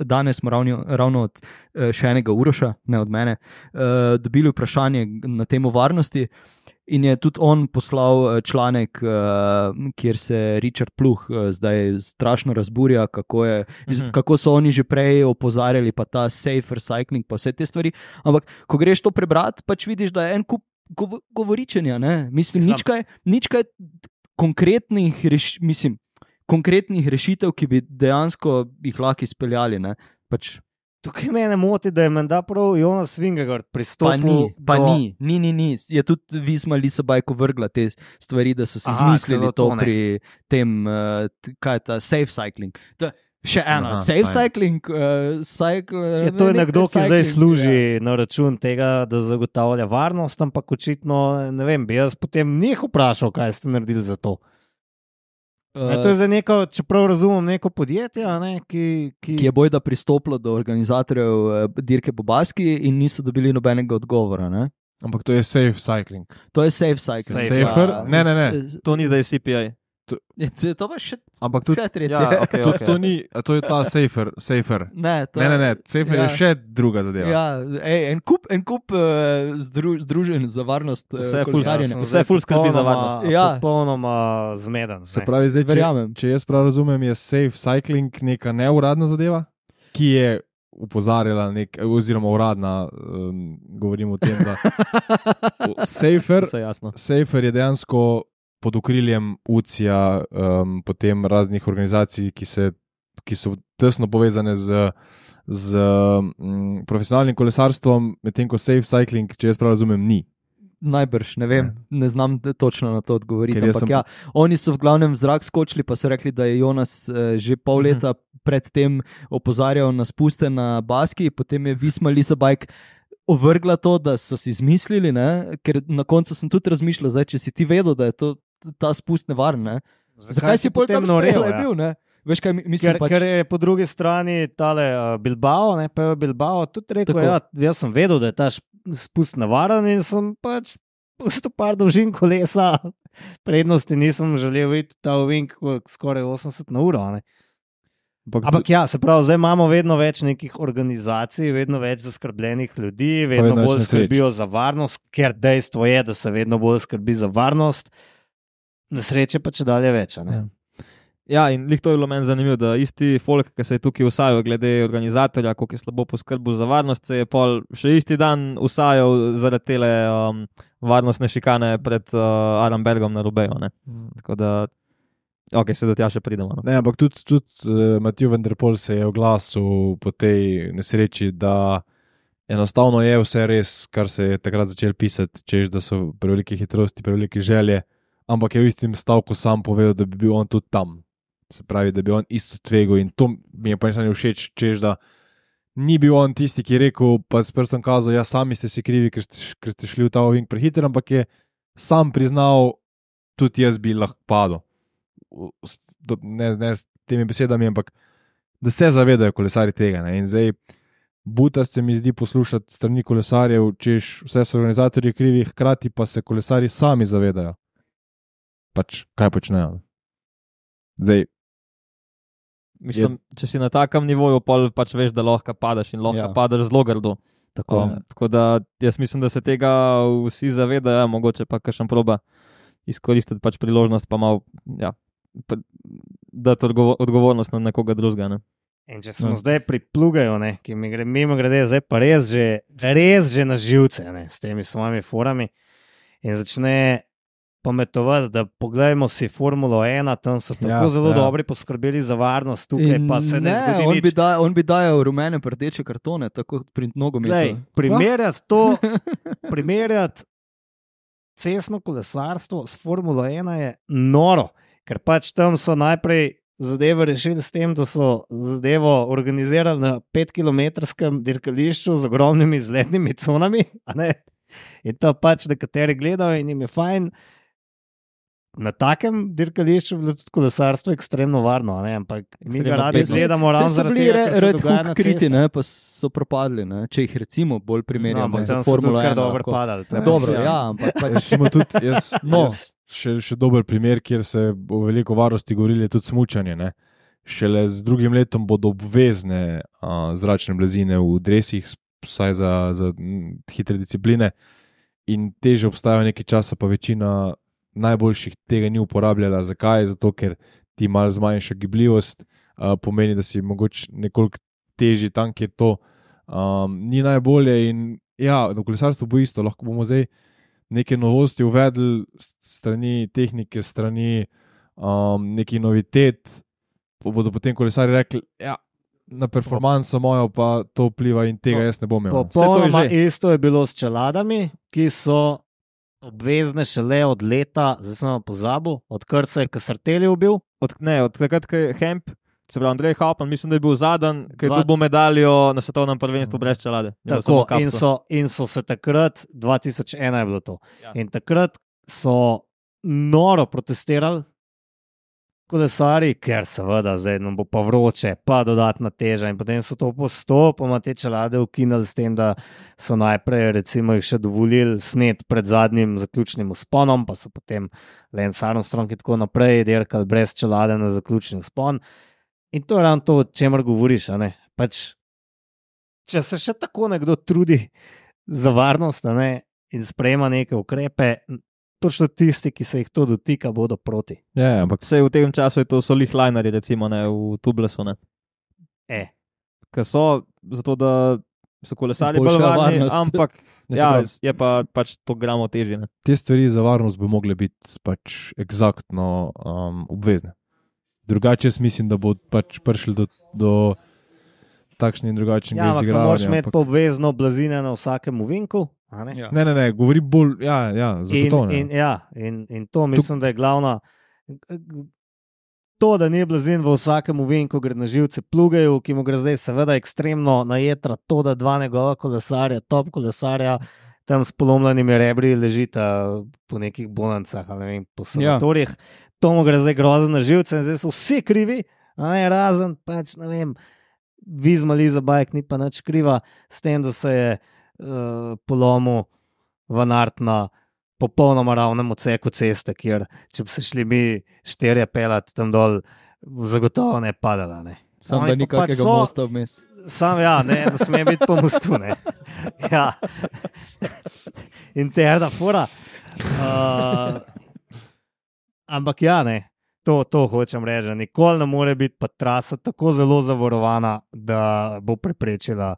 danes smo ravno, ravno od e, še enega Uroša, ne od mene, e, dobili vprašanje na temo varnosti in je tudi on poslal članek, e, kjer se Richard Pluh e, zdaj strašno razburja, kako, je, Mhm. kako so oni že prej opozarjali, pa ta safer cycling, pa vse te stvari. Ampak, ko greš to prebrati, pač vidiš, da je en kup govoričenja, ne? Mislim, nič kaj, nič kaj konkretnih, reš, mislim, konkretnih rešitev, ki bi dejansko jih lahko izpeljali. Ne? Pač, Tukaj mene moti, da je menda prav Jonas Vingegaard pa pristopil ni, pa do... ni, ni, ni, ni. Je tudi Visma Lisabajko vrgla te stvari, da so si Aha, izmislili celo to, to, ne. pri tem, uh, t- kaj je ta safe cycling. To, še eno, Aha, safe fajn. cycling, uh, cycle, Je to je nekaj nekdo, ki zdaj cycling, služi ja. na račun tega, da zagotavlja varnost, ampak očitno, ne vem, bi jaz potem njih vprašal, kaj ste naredili za to. Uh, E, to je za neko, čeprav razumem, neko podjetje, a ne, ki, ki... ki je bojda pristopilo do organizatorjev eh, dirke po Baski in niso dobili nobenega odgovora. Ne? Ampak to je safe cycling. To je safe cycling. Safe, Safer? Ja, Ne, ne, ne. s- To ni, da je C P I. s- To pa še, Ampak tudi, še tretje. Ja, okay, tudi okay. to ni, a to je ta safer, safer. Ne, to Ne, je- ne, ne, safer ja. je še druga zadeva. Ja, ej, en kup, en kup uh, zdru, združenj za varnost uh, Vse je ful- kolesarjenja. Vse ful skrbi za varnost. Ja. Popolnoma zmeden. Se ne. pravi, zdaj, če, Verjamem. če jaz prav razumem, je safe cycling neka neuradna zadeva, ki je upozarjala, nek, oziroma uradna, um, govorim o tem, da safer, Vse jasno. safer je dejansko pod okriljem U C I-ja, um, potem raznih organizacij, ki, se, ki so tesno povezane z, z um, profesionalnim kolesarstvom, medtem ko safe cycling, če jaz prav razumem, ni. Najbrž, ne vem, ne znam t- točno na to odgovoriti. Ker jaz Ampak sem- ja, oni so v glavnem v zrak skočili, pa so rekli, da je Jonas eh, že pol leta predtem opozarjal na spuste na Baski, potem je Visma Lisabajk ovrgla to, da so si izmislili, ne? Ker na koncu sem tudi razmišljal, zdaj, če si ti vedel, da je to, ta spust nevaren. Ne? Zakaj si pol tam norel, spela, je ja? bil, ne? Veš kaj, mi- mislim Ker, pač... ker je po drugi strani tale uh, Bilbao, ne, pa je Bilbao tudi rekel, Tako. ja, jaz sem vedel, da je ta šp- spust navaren in sem pač pustil par dolžin kolesa, prednosti nisem želel videti ta ovink skoraj osemdeset na uro. Ne. Ampak, Ampak ja, se pravi, zdaj imamo vedno več nekih organizacij, vedno več zaskrbljenih ljudi, vedno vedno več bolj nesreč. skrbijo za varnost, ker dejstvo je, da se vedno bolj skrbi za varnost, nesreče pa če dalje več. a ne. Ja. Ja, in lih to je bilo meni zanimivo, da isti folk, ki se je tukaj usajal glede organizatorja, koliko je slabo poskrbel za varnost, se je pol še isti dan usajal zaradi tele um, varnostne šikane pred uh, Arenbergom na Rubeju. Mm. Tako da, ok, se do tja še pridemo. No. Ne, ampak tudi, tudi uh, Matthew Van Der Poel se je oglasil po tej nesreči, da enostavno je vse res, kar se je takrat začel pisati, češ, da so prevelike hitrosti, prevelike želje, ampak je v istim stavku sam povedal, da bi bil on tudi tam. Se pravi, da bi on isto tvegal in to mi je pa nisem všeč, češ, da ni bil on tisti, ki je rekel, pa s prstom kazal, ja, sami ste si krivi, ker ste, ker ste šli v ta ovink prehiter, ampak je sam priznal, tudi jaz bi lahko padel. Ne, ne s temi besedami, ampak da se zavedajo kolesari tega. Ne? In zdaj, buta se mi zdi poslušati strani kolesarjev, češ, vse so organizatorji krivi, hkrati pa se kolesari sami zavedajo. Pač, kaj počnejo. Zdaj, Mislim, je... če si na takem nivoju, pol pač veš, da lahko padeš in lahko ja. padeš zelo grdo. Tako, um, tako da jaz mislim, da se tega vsi zavedajo, mogoče pa kakšen proba izkoristiti pač priložnost, pa malo ja, dati odgovor, odgovornost na nekoga drugega. Ne? In če smo no. zdaj pri Plugaju, ne, ki mi gre mimo grede, zdaj pa res že, res že na živce ne, s temi svojimi forami in začne pametovati, da pogledajmo si Formulo ena, tam so tako ja, zelo ja. dobri poskrbeli za varnost, tukaj in pa se ne, ne zgodi on nič. Bi daj, on bi dajal rumene rdeče kartone, tako pri nogometu. Primerjati to, primerjati cestno kolesarstvo s Formulo ena je noro, ker pač tam so najprej zadeve rešili s tem, da so zadevo organizirali na petkilometrskem dirkališču z ogromnimi izletnimi conami, a ne? In to pač nekateri gledajo in jim je fajn. Na takem dirkališču je bilo tudi kolesarstvo ekstremno varno, ne? Ampak mi ga radi gledamo ravno zaradi tega, ker se dogaja na kriti, ne? Pa so propadli, ne? Če jih recimo bolj primerjamo no, za Formulo ena. Dobro padali. Ja, dobro, ja, ampak pač... recimo tudi jaz, no. jaz še, še dober primer, kjer se o veliko varnosti govorili, je tudi smučanje, ne? Šele z drugim letom bodo obvezne a, zračne blazine v dresih, vsaj za, za hitre discipline in teže obstajajo nekaj časa, pa večina najboljših tega ni uporabljala. Zakaj? Zato, ker ti malo zmanjša gibljivost, uh, pomeni, da si mogoče nekoliko težji tam, kjer to um, ni najbolje in ja, v kolesarstvu bo isto, lahko bomo zdaj neke novosti uvedli strani tehnike, strani um, neki novitet, pa bodo potem kolesari rekli, ja, na performanso mojo pa to vpliva in tega jaz ne bom imel. Popolnoma isto je bilo s čeladami, ki so obvezne šele od leta, zdaj sem pozabil, odkar se je Casartelli ubil. Od, ne, od takrat, ko je Hemp, se pravi Andrej Hauptmann, mislim, da je bil zadnji, ki je Dva... dobil medaljo na svetovnem prvenstvu brez čelade. Tako, in so, in so se takrat, dva tisoč ena je bilo to, ja. In takrat so noro protestirali kolesari, ker seveda zdaj nam bo pa vroče, pa dodatna teža in potem so to postopoma te čelade ukinili s tem, da so najprej recimo jih še dovolili snet pred zadnjim zaključnim vzponom, pa so potem Lance Armstrong in tako naprej dirkali brez čelade na zaključni vzpon in to je ravno to, o čemer govoriš, a ne? Pač, če se še tako nekdo trudi za varnost, a ne, in sprejema neke ukrepe, točno tisti, ki se jih to dotika, bodo proti. Ja, ampak vse v tem času je to so lichlineri, recimo, ne, v Tublesu, ne. E. Ker so, zato da so kolesari bolj varni, ampak ja, je pa pač to gramo težje, ne. Te stvari za varnost bi mogle biti pač eksaktno um, obvezne. Drugače jaz mislim, da bo pač prišli do, do takšnih in drugačnega ja, izigravanja. Ja, moraš imeti ampak... obvezno blazine na vsakem ovinku. Ne? Ja. ne, ne, ne, govori bolj, ja, ja, zagotovo ne. In, in, ja, in, in to mislim, da je glavna, to, da ni blazin v vsakem ovinku, gre na živce Plugaju, ki mu gre zdaj seveda ekstremno najetra to, da dva njegova kolesarja, top kolesarja, tam s polomljenimi rebri ležita po nekih bonancah, ali ne vem, po sanatorjih, ja. To mu gre zdaj grozno na živce in zdaj so vsi krivi, a ne, razen, pač, ne vem, Vizma Liza Bajk ni pa nič kriva s tem, da se je Uh, polomil Van Aert na popolnoma ravnem odseku ceste, kjer če bi se šli mi štirje pelati tam dol, zagotovo ne padala. Ne. Sam da ni kakega so, mosta vmes. Sam ja, ne, da sme biti po mostu. Ne. Ja. Interna fura. Uh, ampak ja, ne. to, to hočem reči. Nikoli ne more biti pa trasa tako zelo zavarovana, da bo preprečila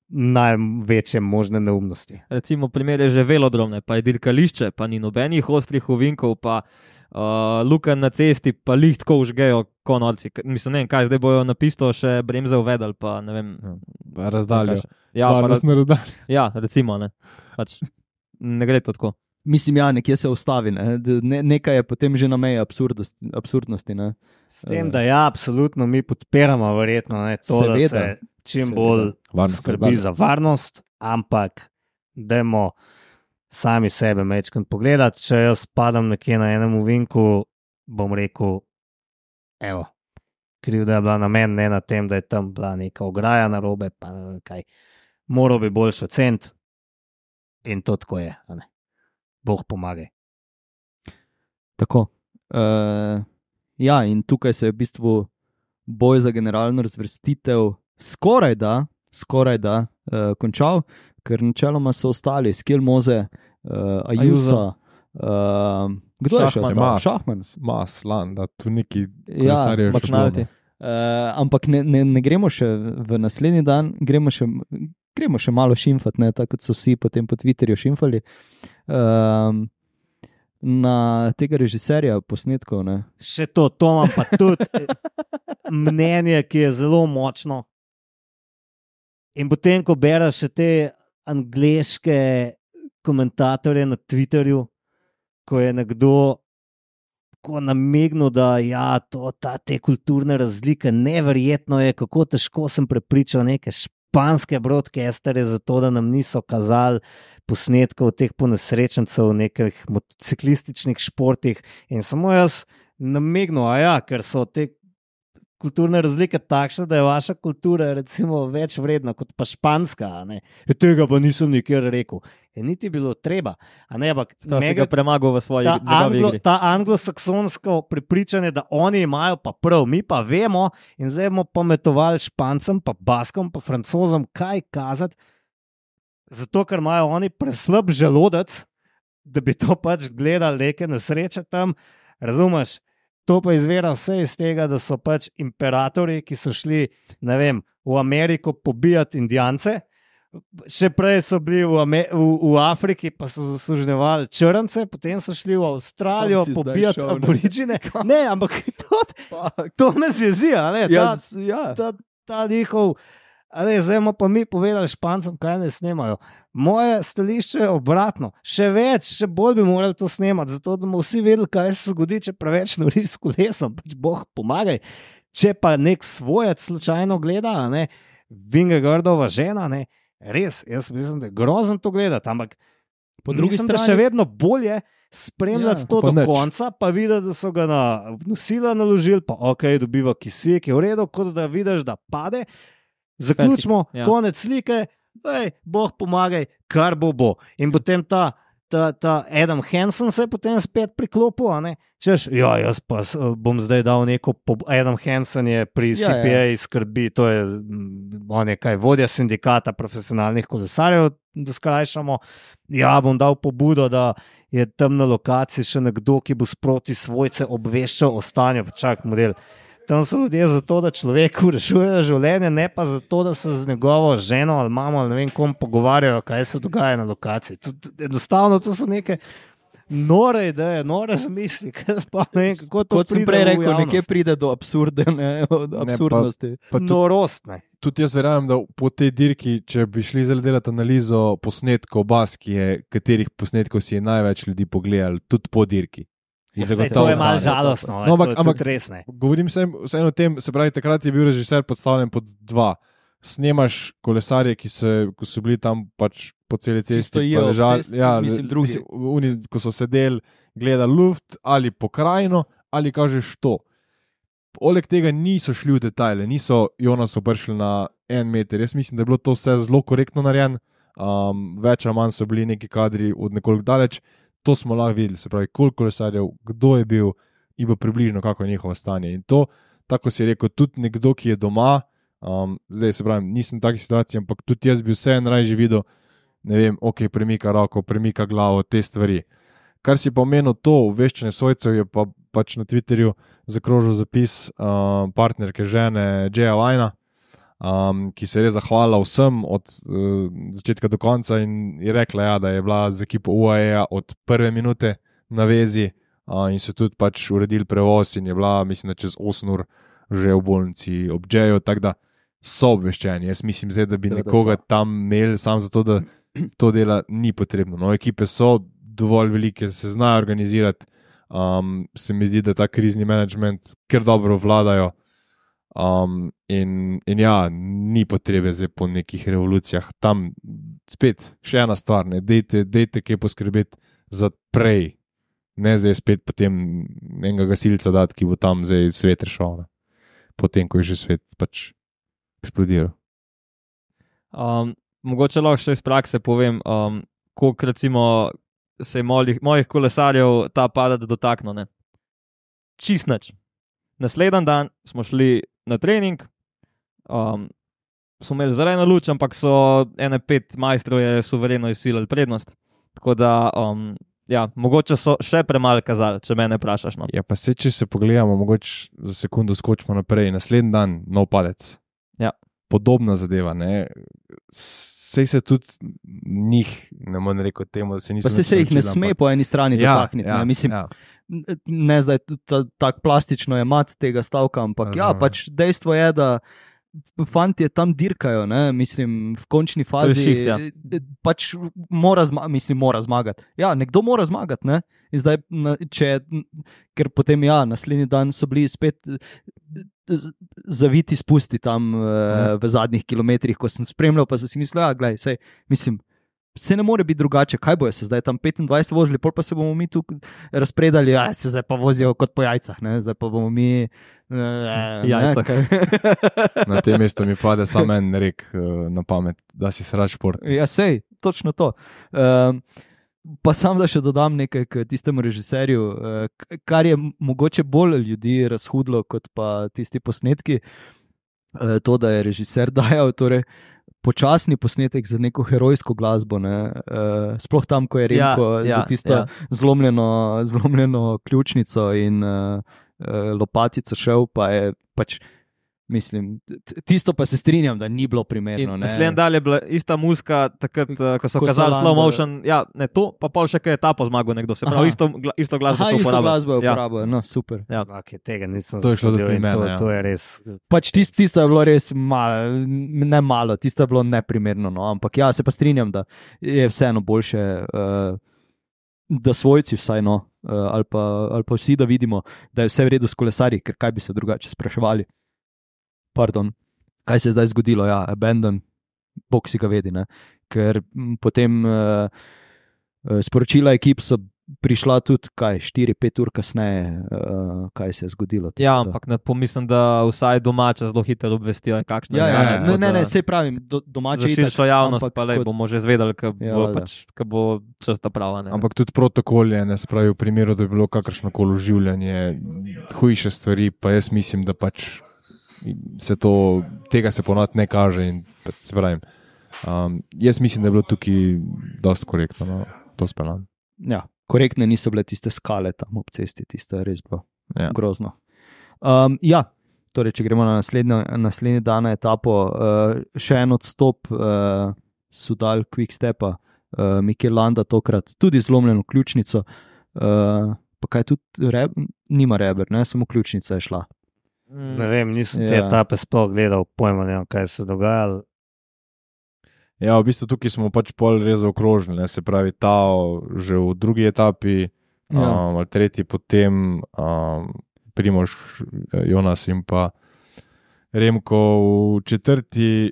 največje možne neumnosti. Recimo, primer je že velodromne, pa je dirkališče, pa ni nobenih ostrih ovinkov, pa uh, luken na cesti, pa lih tako užgejo konorci. Mislim, ne vem, kaj zdaj bojo na pisto še bremze uvedali, pa ne vem. Ja, razdaljo. Ja, pa, raz... razdaljo. ja, recimo, ne. Pač, ne gre to tako. Mislim, ja, nekje se ustavi, ne? Ne, nekaj je potem že na meji absurdnosti. absurdnosti ne? S tem, da ja, absolutno mi podpiramo verjetno ne, to, Seveda. da se čim Seveda. bolj Varnost, skrbi varnost. za varnost, ampak dajmo sami sebe mečkrat pogledati. Če jaz padam nekje na enem ovinku, bom rekel, evo, krivda je bila na meni, ne na tem, da je tam bila neka ograja narobe, pa ne vem kaj. Moral bi boljšo cent in to tako je, a ne. Bog pomagaj. Tako. Uh, ja, in tukaj se je v bistvu boj za generalno razvrstitev skoraj da, skoraj da uh, končal, ker načeloma so ostali Skjelmoze, uh, Ajuso. Uh, kdo je še Šachman. ostal? Ma, Šachman. Mas, lan, da tu neki Ja, kolesarji še Mačnalti. Uh, ampak ne, ne, ne gremo še v naslednji dan, gremo še, gremo še malo šimfati, ne, tako kot so vsi potem po Twitterju šimfali. Um, na tega režiserja posnetkov. Ne. Še to, to imam pa tudi mnenje, ki je zelo močno. In potem, ko bereš še te angleške komentatorje na Twitterju, ko je nekdo ko namignil, da ja, to, ta, te kulturne razlike, neverjetno je, kako težko sem prepričal neke španske broadcasterje za to, da nam niso kazali posnetkov teh ponesrečencev v nekih motociklističnih športih. In samo jaz namignil, a ja, ker so te kulturne razlike takšne, da je vaša kultura recimo več vredna kot pa španska. E, tega pa nisem nikjer rekel. Je niti bilo treba. A ne, ampak To si ga premagal v svoji ta, njegovi anglo, igri. ta anglosaksonsko prepričanje, da oni imajo pa prav, mi pa vemo in zdaj bomo pametovali Špancem, pa Baskom, pa Francozom, kaj kazati, zato ker imajo oni preslab želodec, da bi to pač gledali neke nesreče tam, razumeš? To pa izvira vse iz tega, da so pač imperatorji, ki so šli, ne vem, v Ameriko pobijati Indijance, še prej so bili v, Amer v, v Afriki, pa so zasluževali črnce, potem so šli v Avstralijo Kam si zdaj pobijati šel, ne? aboriđine. Ne, ampak to, to me zvezi, a ne? Ta, Ja, s- ja. ta, ta njihov, a ne, zdaj bomo pa mi povedali Špancem, kaj ne snemajo. Moje stališče je obratno. Še več, še bolj bi morali to snemati, zato da bomo vsi vedeli, kaj se zgodi, če preveč noriš s kolesom. Pač Bog pomagaj. Če pa nek svojec slučajno gleda, a ne, Vingegaardova žena, ne, res, jaz mislim, da je grozno to gledati, ampak Po drugi mislim, da strani- še vedno bolje spremljati Ja, to pa do nič. konca, pa videti, da so ga na nosila naložili, pa ok, dobiva kisik, je v redu, kot da vidiš, da pade. Zaključimo, Ja. konec slike, ej, Bog pomagaj, kar bo bo. In potem ta, ta, ta Adam Hansen se je potem spet priklopil, a ne? Češ, ja, jaz pa s- bom zdaj dal neko, po- Adam Hansen je pri Ja, C P A skrbi, to je, mm, on je kaj, vodja sindikata profesionalnih kolesarjev, da skrajšamo. Ja, bom dal pobudo, da je tam na lokaciji še nekdo, ki bo sproti svojce obveščal o stanju. Čak, model. Tam so ljudje zato, da človeku rešujejo življenje, ne pa zato, da se z njegovo ženo ali mamo ali ne vem kom pogovarjajo, kaj se dogaja na lokaciji. Tud, enostavno to so neke nore ideje, nore zamisli, kaj sploh ne vem, kako to Kot sem pride prej v rekel, javnost. nekje pride do absurde, ne, od absurdnosti. Pa tudi, Norost, ne. tudi jaz verjamem, da po tej dirki, če bi šli zdaj delati analizo posnetkov Baskije, katerih posnetkov si je največ ljudi pogledali, tudi po dirki. In Saj, zagotovo to je malo ne. žalostno, No, ampak- to je ampak- tudi res ne. Govorim vseeno o tem, se pravi, takrat je bil režiser podstavljen pod dva. Snemaš kolesarje, ki so, ko so bili tam pač po celi cesti, stojijo pa ob ležali, cesti, ja, mislim, drugi. mislim, oni, ko so sedeli, gledali luft ali pokrajino, ali kažeš to. Poleg tega niso šli v detajle, niso Jonas obršili na en meter. Jaz mislim, da je bilo to vse zelo korektno narejeno, um, več ali manj so bili neki kadri od nekoliko daleč. To smo lahko videli, se pravi, koliko kolesarjev, kdo je bil in pa približno kako je njihovo stanje. In to, tako si rekel, tudi nekdo, ki je doma, um, zdaj se pravi, nisem v taki situaciji, ampak tudi jaz bi vseeno raje videl, ne vem, ok, premika roko, premika glavo, te stvari. Kar si pa omenil, to obveščanje svojcev je pa pač na Twitterju zakrožil zapis uh, partnerke žene Jaya Vajna, um, ki se je res zahvalila vsem od uh, začetka do konca in je rekla, ja, da je bila z ekipo U A E od prve minute na vezi uh, in so tudi pač uredili prevoz in je bila, mislim, da čez osem ur že v bolnici ob Jayu, tako da so obveščeni. Jaz mislim zdaj, da bi Da, da nekoga so. tam imeli samo zato, da to dela ni potrebno. No, ekipe so dovolj velike, se znajo organizirati. Um, se mi zdi, da ta krizni management kar dobro vladajo. Um, in, in ja, ni potrebe zdaj po nekih revolucijah. Tam spet še ena stvar, ne, dejte, dejte kaj poskrbeti za prej, ne zdaj spet potem enega gasilca dati, ki bo tam zdaj svet rešal, ne. Potem, ko je že svet pač eksplodiral. Um, mogoče lahko še iz prakse povem, um, koliko recimo se je mojih, mojih kolesarjev ta padec dotaknil. Ne? Čist nič. Naslednji dan smo šli na trening, um, smo imeli zeleno luč, ampak so ene pet majstrov je suvereno izsilili prednost. Tako da, um, ja, mogoče so še premalo kazali, če mene vprašaš. No. Ja, pa se, če se pogledamo, mogoče za sekundo skočimo naprej. Naslednji dan, nov padec. Ja. Podobna zadeva, ne. Sej se tudi njih, ne morem reči temu, da se niso. Pa se, se jih ne naučili, sme ampak- po eni strani Ja, dotakniti. ja, ne. Mislim, ja. ne zdaj tako plastično je mat tega stavka, ampak ja, Razumem. pač dejstvo je, da fantje tam dirkajo, ne, mislim, v končni fazi šiht, ja. pač mora, zma mislim, mora zmagati. Ja, nekdo mora zmagati, ne, in zdaj, na, če, ker potem, ja, naslednji dan so bili spet z- zaviti spusti tam uh, v zadnjih kilometrih, ko sem spremljal, pa sem si mislil, ja, glej, sej, mislim, se ne more biti drugače, kaj bojo se zdaj tam petindvajset vozili, pol pa se bomo mi tu razpredali, ja, se zdaj pa vozijo kot po jajcah, ne, zdaj pa bomo mi uh, Jajcah. Na tem mestu mi pade samo en rek uh, na pamet, da si srač šport. Ja, sej, točno to. Um, pa sam da še dodam nekaj k tistemu režiserju, uh, k- kar je m- mogoče bolj ljudi razhudlo kot pa tisti posnetki, uh, to, da je režiser dajal torej, počasni posnetek za neko herojsko glasbo, ne? Uh, sploh tam, ko je Remko Ja, ja, za tisto ja. zlomljeno, zlomljeno ključnico in uh, uh, lopatico šel, pa je pač, mislim, t- tisto pa se strinjam, da ni bilo primerno. In ne. naslednji dan je bila ista muzika, takrat, eh, ko so Ko so kazali slow Lando- motion. Ja, ne to, pa pol še kaj je etapo zmagal nekdo. Se Aha. pravi, isto, gla- isto glasbo Aha, so isto uporabljali. glasbo je Ja. uporabljal, no super. Okay, tega nisem To je šlo zasledil tudi in mene, to, ja. to je res. Pač tist, tisto je bilo res malo, ne malo, tisto je bilo neprimerno, no? Ampak ja, se pa strinjam, da je vseeno boljše, uh, da svojci vsaj, no, uh, ali, pa, ali pa vsi, da vidimo, da je vse v redu s kolesarji, ker kaj bi se drugače spraševali. Pardon, kaj se je zdaj zgodilo, ja, abandon, bog si ga vedi, ne? Ker m, potem uh, uh, sporočila ekip so prišla tudi, kaj, štiri pet ur kasneje, uh, kaj se je zgodilo. Ja, tako da- ampak ne pomislim, da vsaj domače zelo hitro obvestijo, kakšno Ja, je ja, stanje, ja. tako Ne, ne, da ne, sej pravim, do, domače Za širšo javnost, pa le kot- bomo že zvedeli, ko Ja, bo, valjda. pač, ko bo čas ta prava. Ne. Ampak tudi protokol je, ne spravi v primeru, da je bilo kakršno koli življenje, hujše stvari, pa jaz mislim, da pač se to, tega se ponovadi ne kaže. In, pač, se pravim, um, jaz mislim, da je bilo tukaj dosti korektno, no, to speljan. Ja, korektne niso bile tiste skale tam ob cesti, tisto je res bilo Ja. grozno. Um, ja, torej, če gremo na naslednjo, naslednji dan na etapo, uh, še en odstop uh, so dal Quick Stepa, uh, Mikel Landa tokrat, tudi zlomljeno ključnico, uh, pa kaj tudi reb, nima reber, ne, samo ključnica je šla. Mm, Ne vem, nisem te Ja. etape sploh gledal, pojma ne vem, kaj se je dogajalo. Ja, v bistvu tukaj smo pač pol res zaokrožili, ne, se pravi, ta že v drugi etapi, Ja. um, ali tretji, potem um, Primož, Jonas in pa Remko v četrti,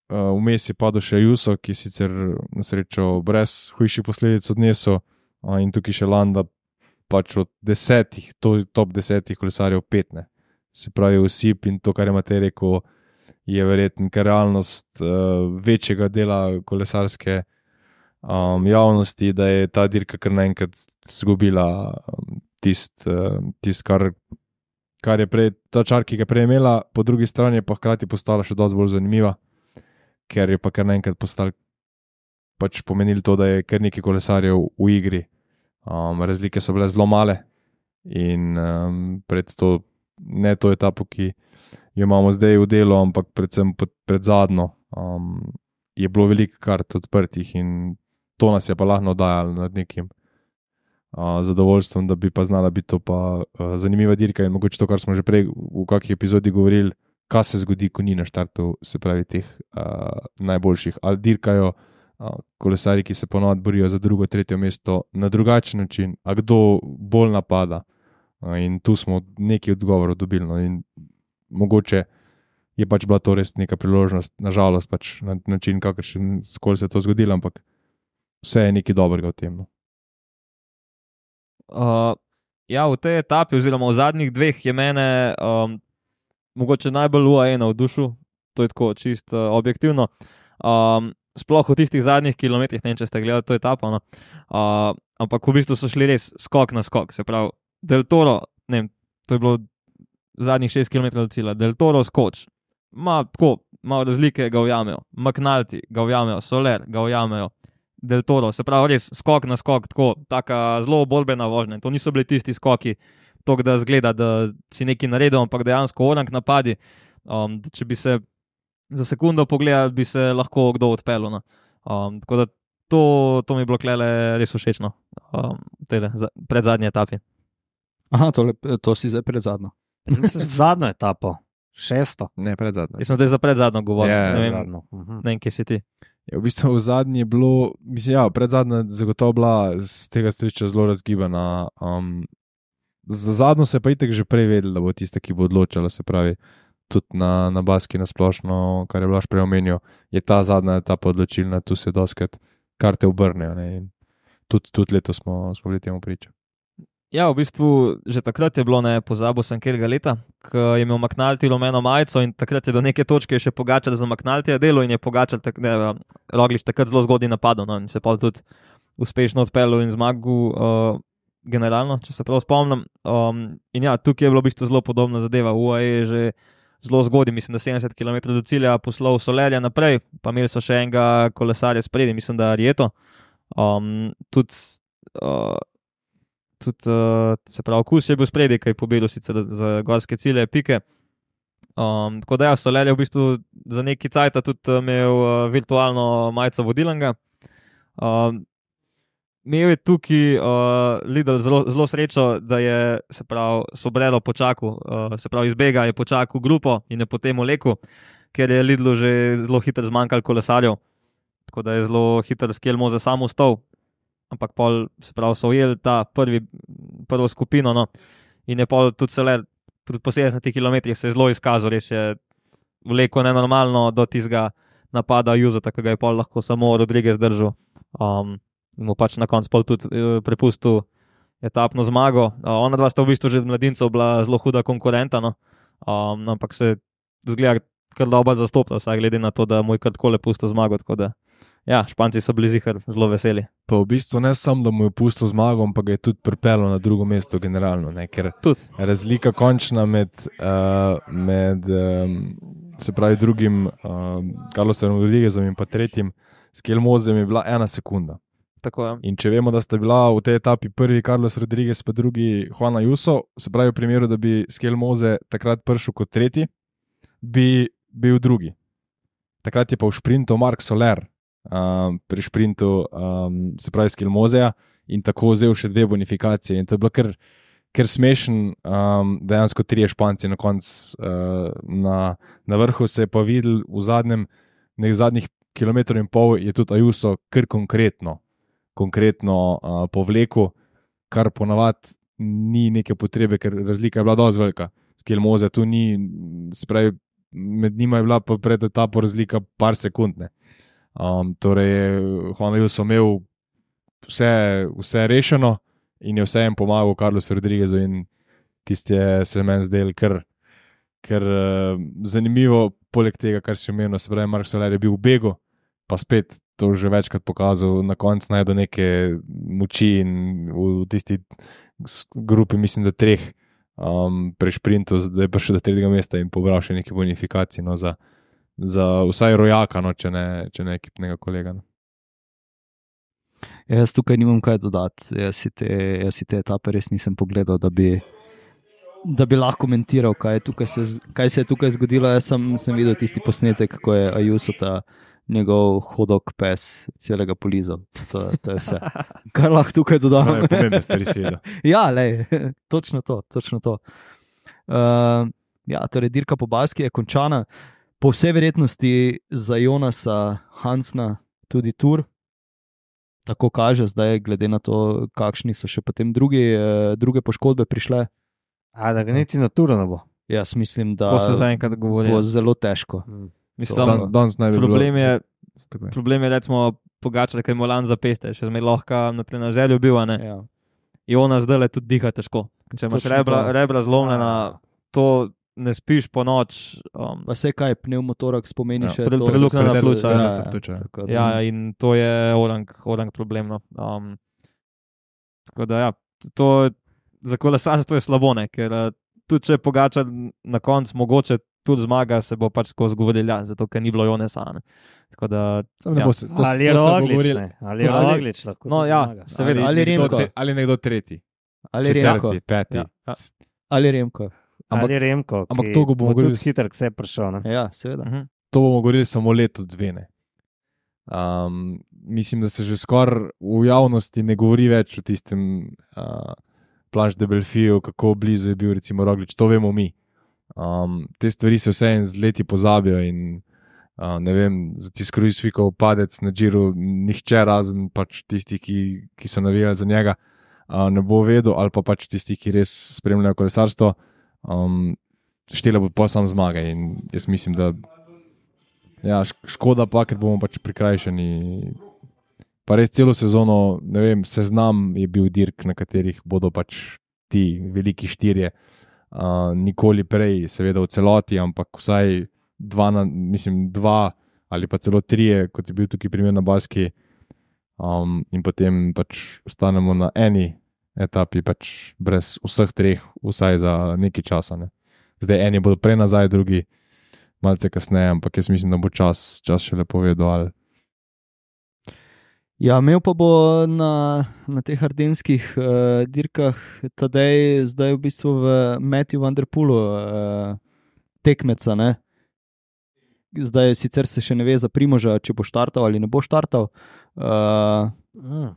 uh, vmes je padel še Juso, ki sicer na srečo brez hujših posledic odnesel, uh, in tukaj še Landa, pač od desetih, to top desetih kolesarjev petne. Se pravi, vsip in to, kar je Matej rekel, je verjetno kar realnost uh, večjega dela kolesarske um, javnosti, da je ta dirka kar naenkrat izgubila um, tisto, uh, tist, kar, kar je prej, ta čar, ki ga je prej imela, po drugi strani je pa hkrati postala še dosti bolj zanimiva, ker je pa kar naenkrat postal pač pomenilo to, da je kar nekaj kolesarjev v igri. Um, razlike so bile zelo male, In um, pred to, ne to etapo, ki jo imamo zdaj v delu, ampak predvsem pod, pred zadnjo, um, je bilo veliko kart odprtih in to nas je pa lahko dajalo nad nekim uh, zadovoljstvom, da bi pa znala biti to pa uh, zanimiva dirka in mogoče to, kar smo že prej v kakšni epizodi govorili, kaj se zgodi, ko ni na štartu, se pravi teh uh, najboljših. Ali dirkajo uh, kolesari, ki se ponovno borijo za drugo, tretje mesto na drugačen način, a kdo bolj napada. Uh, in tu smo nekaj odgovorov dobili. No, in mogoče je pač bila to res neka priložnost, nažalost pač na način, kakršen skoli se je to zgodilo, ampak vse je nekaj dobrega v tem. No. Uh, ja, v tej etapi oziroma v zadnjih dveh je mene um, mogoče najbolj U A E navdušil, to je tako čisto uh, objektivno. Um, sploh v tistih zadnjih kilometrih, ne vem, če ste gledali to etapo, no. uh, ampak v bistvu so šli res skok na skok, se pravi, Del Toro, ne vem, to je bilo zadnjih šest kilometrov do cilja, Del Toro skoč, ma tako, malo razlike ga ujamejo, McNulty ga ujamejo, Soler ga ujamejo, Del Toro, se pravi, res skok na skok, tako, taka zelo borbena vožnja, to niso bili tisti skoki, tok da zgleda, da si nekaj naredil, ampak dejansko orang napadi, um, če bi se za sekundo pogledal, bi se lahko kdo odpeljal. No. Um, tako da to, to mi je bilo klele res všečno, um, tede, za, pred zadnji etapi. Aha, tole, to si zdaj pred zadnjo. Zadnjo etapo, šesto. Ne, pred zadnjo. Jaz sem zdaj za pred zadnjo govoril, Ja, ne vem, Zadnjo. Mhm. ne vem, kje si ti. Ja, v bistvu v zadnji je bilo, mislim, ja, pred zadnjo zagotovo bila z tega striča zelo razgibana. Um, za zadnjo se pa itek že prej vedel, da bo tista, ki bo odločala, se pravi, tudi na, na Baski nasplošno, kar je Blaž prej omenil, je ta zadnja etapa odločilna, tu se doskrat karte obrnejo. Ne, in tudi, tudi letos smo, smo bili temu priča. Ja, v bistvu že takrat je bilo, ne pozabil sem katerega leta, ko je imel McNulty rumeno majico in takrat je do neke točke še Pogačar za McNultyja delo in je Pogačar, tak, ne, Roglič takrat zelo zgodaj napadal, no, in se pa tudi uspešno odpeljal in zmagal uh, generalno, če se prav spomnim. Um, in ja, tukaj je bilo v bistvu zelo podobna zadeva, U A E je že zelo zgodaj, mislim, da sedemdeset kilometrov do cilja poslal Solerja naprej, pa imeli so še enega kolesarja spredi, mislim, da Rieto. Um, tudi uh, Tudi, uh, se pravi, Kus je bil spredi, ki je pobedil sicer za gorske cilje, pike. Um, tako da ja, Soler je v bistvu za neki cajt tudi imel uh, virtualno majico vodilnega. Um, imel je tukaj uh, Lidl zelo, zelo srečo, da je, se pravi, Sobrero počakal, uh, se pravi, izbega je počakal grupo in je potem vlekel, ker je Lidlu že zelo hitro zmanjkalo kolesarjev. Tako da je zelo hitro Skelmoze sam ustal. Ampak pol, se pravi, so ujeli ta prvi, prvo skupino, no, in je pol tudi Soler, tudi po sedemdesetih kilometrih se je zelo izkazal, res je vlekel nenormalno do tistega napada Juzeta, ki ga je pol lahko samo Rodriguez držal. Um, in mu pač na koncu pol tudi uh, prepustil etapno zmago. Uh, ona dva sta v bistvu že od mladincev bila zelo huda konkurenta, no, um, ampak se zgleda kar dobro zastopila, vsaj glede na to, da mu je kar takole pustil zmago, tako da ja, Španci so bili zihar zelo veseli. Pa v bistvu ne samo, da mu je pustil zmago, ampak ga je tudi pripeljal na drugo mesto generalno, ne? Ker Tudi. razlika končna med, uh, med um, se pravi drugim um, Carlosom Rodriguezom in pa tretjim Skelmozem je bila ena sekunda. Tako je. In če vemo, da sta bila v tej etapi prvi Carlos Rodriguez pa drugi Juan Ayuso, se pravi v primeru, da bi Skelmoze takrat prišel kot tretji, bi bil drugi. Takrat je pa v šprintu Mark Soler Um, pri šprintu, um, se pravi Skelmozeja, in tako vzel še dve bonifikacije. In to je bilo kar, kar smešen, um, dejansko trije Španci na koncu uh, na, na vrhu se je pa videl v zadnjem, nekaj zadnjih kilometrov in pol je tudi Ayuso kar konkretno, konkretno uh, povlekel, kar ponavadi ni neke potrebe, ker razlika je bila dosti velika. Skelmoze tu ni, se pravi, med njima je bila pa pred etapo razlika par sekund, ne. Um, torej, Juan Ayuso imel vse, vse rešeno in je vse jim pomagal Carlosu Rodriguezu in tisti je se meni zdel kar, kar uh, zanimivo, poleg tega, kar si omenil, se pravi, Mark Soler je bil v begu, pa spet to že večkrat pokazal, na koncu najde neke moči in v tisti grupi, mislim, da treh um, pri šprintu, da je prišel do tretjega mesta in pobral še neke bonifikacije, no, za za vsaj rojaka, no, če ne, če ne ekipnega kolega. No. Jaz tukaj nimam kaj dodati. Jaz si te, jaz si te etape res nisem pogledal, da bi, da bi lahko komentiral, kaj, tukaj se, kaj se je tukaj zgodilo. Jaz sem, sem videl tisti posnetek, kako je Ayuso ta njegov hodok pes celega polizal. To, to je vse. Kar lahko tukaj dodam. Spravi, pomembne stvari si videl. Ja, lej, točno to. Točno to. Uh, ja, torej, dirka po Baski je končana. Po vsej verjetnosti za Jonasa Hansna tudi tur. Tako kaže zdaj, glede na to, kakšni so še potem drugi, eh, druge poškodbe prišle. A da ga niti na turu ne bo. Jaz mislim, da To se zaenkrat govori. bo zelo težko. Mislim, Dan, danes naj bi problem bilo... je, problem je, recimo, Pogačar, ker je Molan za peste, še zmeraj lahko na trenažerju bil, a ne. Ja. In ona zdaj le tudi diha težko. Če imaš Točno rebra, to. rebra zlomljena, to ne spiš po noč. Um, Pa se kaj, pneumotoraks pomeni Ja, še pre- to, preluknjena da se- pljuča, Ja, ja, ja, pljuča, ja. tako da- ja, in to je orang, orang problem. No. Um, tako da ja, to za kolesarstvo je slabo, ne, ker uh, tudi če Pogačar na koncu mogoče tudi zmaga, se bo pač tako zgovoril, ja, zato ker ni bilo Jonesa. Ne. Tako da, Tam ne ja. bo se, to, Ali je to se bo Roglič, govorilo- ne? Ali je to se- Roglič lahko No, tudi ja, zmaga. seveda. Ali nekdo Remko. te- ali nekdo tretji. Ali Remko. Četrti, peti. Ja, ja. Ali Remko. Ampak- Ali Remko, ampak ki to ga bomo bo tudi govorili s- hitro k sebi prišel. Ne? Ja, seveda. Uh-huh. To bomo govorili samo leto, dve. Ne. Um, mislim, da se že skoraj v javnosti ne govori več o tistem uh, Planche de Belfiju, kako blizu je bil recimo Roglič, to vemo mi. Um, te stvari se vseeno z leti pozabijo in uh, ne vem, za tisti Kruisvikov padec na Džiru, nihče razen pač tisti, ki, ki so navijali za njega, uh, ne bo vedel, ali pa pač tisti, ki res spremljajo kolesarstvo, um, štela bo pa sam zmaga in jaz mislim, da ja, šk- škoda pa, ker bomo pač prikrajšani. Pa res celo sezono, ne vem, seznam je bil dirk, na katerih bodo pač ti veliki štirje. Uh, nikoli prej, seveda v celoti, ampak vsaj dva, na, mislim, dva ali pa celo trije, kot je bil tukaj primer na Baski. Um, in potem pač ostanemo na eni etapi, pač brez vseh treh, vsaj za nekaj časa. Ne. Zdaj eni bodo prej nazaj, drugi malce kasneje, ampak jaz mislim, da bo čas, čas še lepo vedel. Ja, imel pa bo na, na teh ardenskih uh, dirkah tadej, zdaj v bistvu v Matthew Van Der Poelu uh, tekmeca. Ne? Zdaj sicer se še ne ve za Primoža, če bo štartal ali ne bo štartal. Uh, Mm.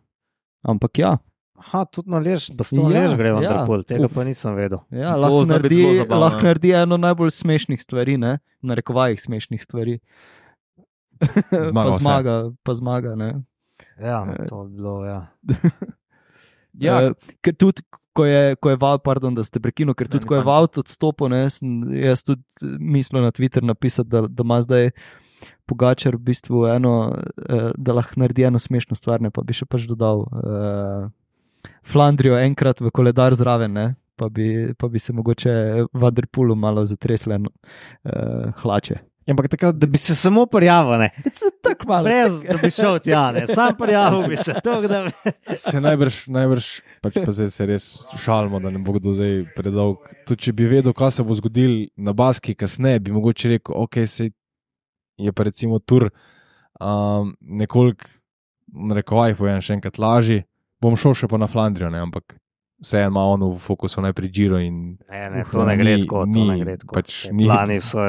ampak ja, Aha, tudi na lež, baston Ja, lež gre v ja. Vanderpool, tega Uf. pa nisem vedel. ja To lahko, zna biti naredi, zelo zabavno. lahko naredi eno najbolj smešnih stvari, ne? Na rekovajih smešnih stvari. Zmaga pa vse. zmaga, pa zmaga. Ne? Ja, Eh. to je bilo, ja. Ja, Eh, ker tudi, ko je, ko je Val, pardon, da ste prekinuli, ker Ne, tudi, ni ko je fajn. Val odstopil, ne, sem jaz tudi mislil na Twitter napisati, da, da ima zdaj Pogačar v bistvu eno, eh, da lahko naredi eno smešno stvar, ne, pa bi še pač dodal uh, Flandrijo enkrat v koledar zraven, ne, pa bi, pa bi se mogoče Van Der Poelu malo zatresle uh, hlače. Ampak takrat, Da bi se samo prijavil, ne. Tako malo. Brez, da bi šel tja, ne. Sam prijavil bi se. To, da bi... se najbrž, najbrž pač pa zdaj se res šalimo, da ne bo kdo zdaj predolg. Tudi če bi vedel, kaj se bo zgodil na Baski kasneje, bi mogoče rekel, ok, se je pa recimo tur um, nekoliko, na rekovajih povem še enkrat lažji, bom šel še pa na Flandrijo, ne, ampak vseeno ima on v fokusu najprej Giro in Ne, ne, Uh, to ne gre ni- tako, to ni, ne gre tako. pač Te ni- Plani so,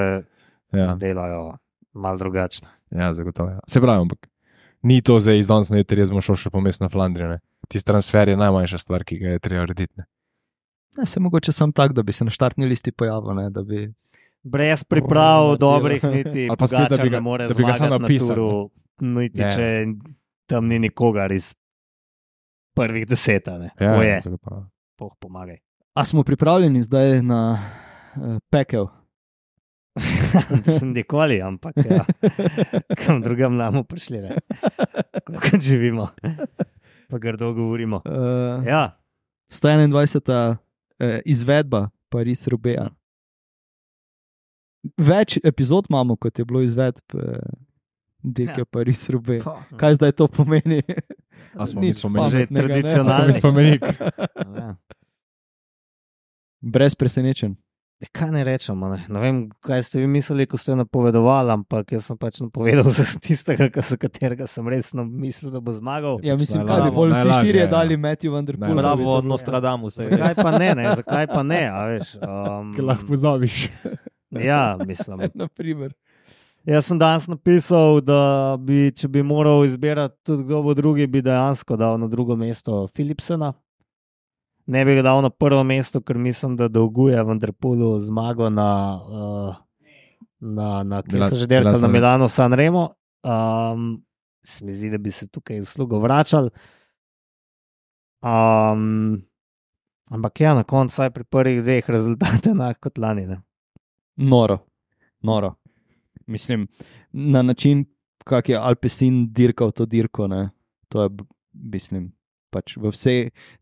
ja, delajo malo drugačno. ja zagotovo. Ja. Se pravi, ampak ni to zdaj iz danes na jutri, jaz bom šel še pomest na Flandrijo. Ne. Tisti transfer je najmanjša stvar, ki ga je treba urediti. ne. Ne, se mogoče sam tak, da bi se na štartni listi pojavil, ne, da bi Brez priprav, Oh, dobrih, niti Ali pa spet, da Pogačar bi ga- ne more da bi ga samo zmagati na napisal, turu, niti Ne. če tam ni nikogar iz prvih deset, ne. Ja, To je, zagotovo. Bog pomagaj. A smo pripravljeni zdaj na uh, pekel? Nikoli, ampak ja. Kam drugam namo prišli, ne. Kako živimo, pa grdo govorimo. Uh, Ja, sto enaindvajseta uh, izvedba Paris-Roubaix. Več epizod imamo, kot je bilo izvedb uh, Dirke Ja. Paris-Roubaix. Kaj zdaj to pomeni? A smo Nič mi spomenili? Že pametnega, ne? tradicionalni. Smo mi spomenik. ja. Brez presenečenj. Kaj ne rečemo? Ne? ne vem, kaj ste vi mislili, ko ste napovedovali, ampak jaz sem pač napovedal za tistega, za katerega sem resno mislil, da bo zmagal. Ja, mislim, najlažje, kaj bi bolj vsi najlažje, štirje ja. dali Matthew Van Der Poel. Najlažje. Bravo od Nostradamusa. Zakaj pa ne, ne? Zakaj pa ne, a veš? Um, Ker lahko pozabiš. ja, mislim. Naprimer. Jaz sem danes napisal, da bi, če bi moral izbirati tudi kdo bo drugi, bi dejansko dal na drugo mesto Philipsena. Ne bi ga dal na prvo mesto, ker mislim, da dolguje Van Der Poelu zmago na, uh, na, na kje Milan- so že delali, Milan na San- Milano Sanremo. Um, se mi zdi, da bi se tukaj uslugo vračali. Um, ampak ja, na koncu saj pri prvih dveh rezultate enak kot lani. Ne? Noro, noro. Mislim, na način, kak je Alpecin dirkal to dirko, ne, to je, b- mislim, pač v vse,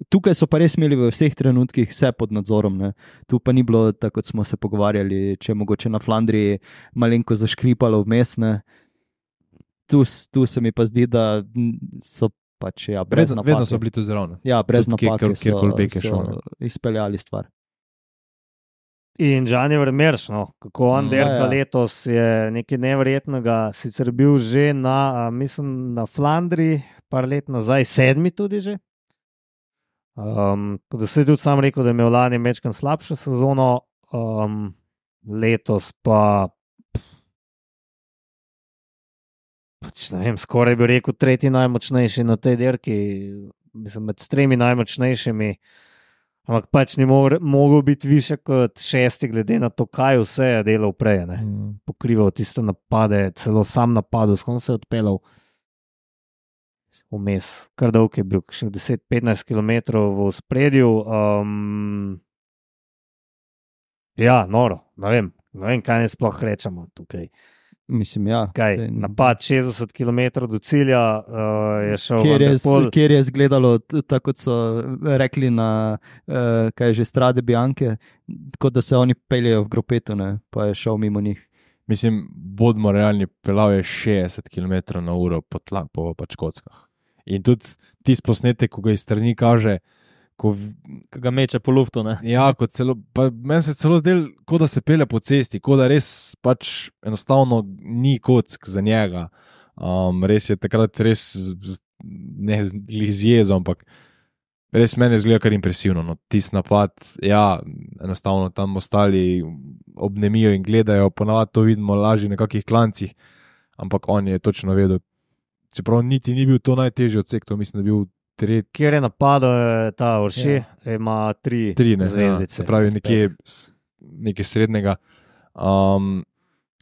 tukaj so pa res imeli v vseh trenutkih vse pod nadzorom, ne. Tu pa ni bilo, tako kot smo se pogovarjali, če je mogoče na Flandriji malenko zaškripalo vmes, ne. Tu, s- tu se mi pa zdi, da m, so pač, ja, brez Vedno, napake. vedno so bili tu zraven. Ja, brez Tudi kje- napake kjer- kjerkoli so, Bek je šel, so izpeljali stvar. In Gianni Vermeersch, no, kako on Mm. dirka Ja, ja. letos, je nekaj nevrednega. Sicer bil že na, a, mislim, na Flandriji, par let nazaj, sedmi tudi že. Um, da se je tudi sam rekel, da je imel lani mečkan slabšo sezono, um, letos pa, pač ne vem, skoraj bi rekel, tretji najmočnejši na tej dirki, mislim, med tremi najmočnejšimi. Ampak pač ni mogel, mogel biti više kot šesti, glede na to, kaj vse je delal prej. Ne. Mm. Pokrival tiste napade, celo sam napadal, skoro se je odpeljal vmes. Kar dolg je bil, še deset do petnajst km v spredju. Um, ja, noro, ne vem, ne vem, kaj ne sploh rečemo tukaj. Mislim, ja. Kaj, Saj- napad šestdeset kilometrov do cilja uh, je šel Kjer Van je, der Poel. kjer je izgledalo, t- tako kot so rekli na uh, kaj je že Strade Bianche, kot da se oni peljejo v gropetu, ne, pa je šel mimo njih. Mislim, bodimo realni, pelal je šestdeset kilometrov na uro po, tla, po pač kockah. In tudi tisti posnetek, ko ga iz strani kaže, ko, v- Ki ga meče po luftu. Ne? ja, kot celo, pa meni se celo zdel, kot da se pele po cesti, kot da res pač enostavno ni kock za njega. Um, res je takrat res, z- z- ne glih z jezo, ampak res meni zgleda kar impresivno. No. Tisti napad, ja, enostavno tam ostali obnemijo in gledajo, ponavadi to vidimo lažje na kakih klancih, ampak on je točno vedel. Čeprav niti ni bil to najtežji odsek, to mislim, da je bil tretji. Kjer je napadal je ta Orši, ja. Ima tri, Tri, ne, zvezdice. ja, se pravi od nekje, petih. s- nekaj srednjega. Um,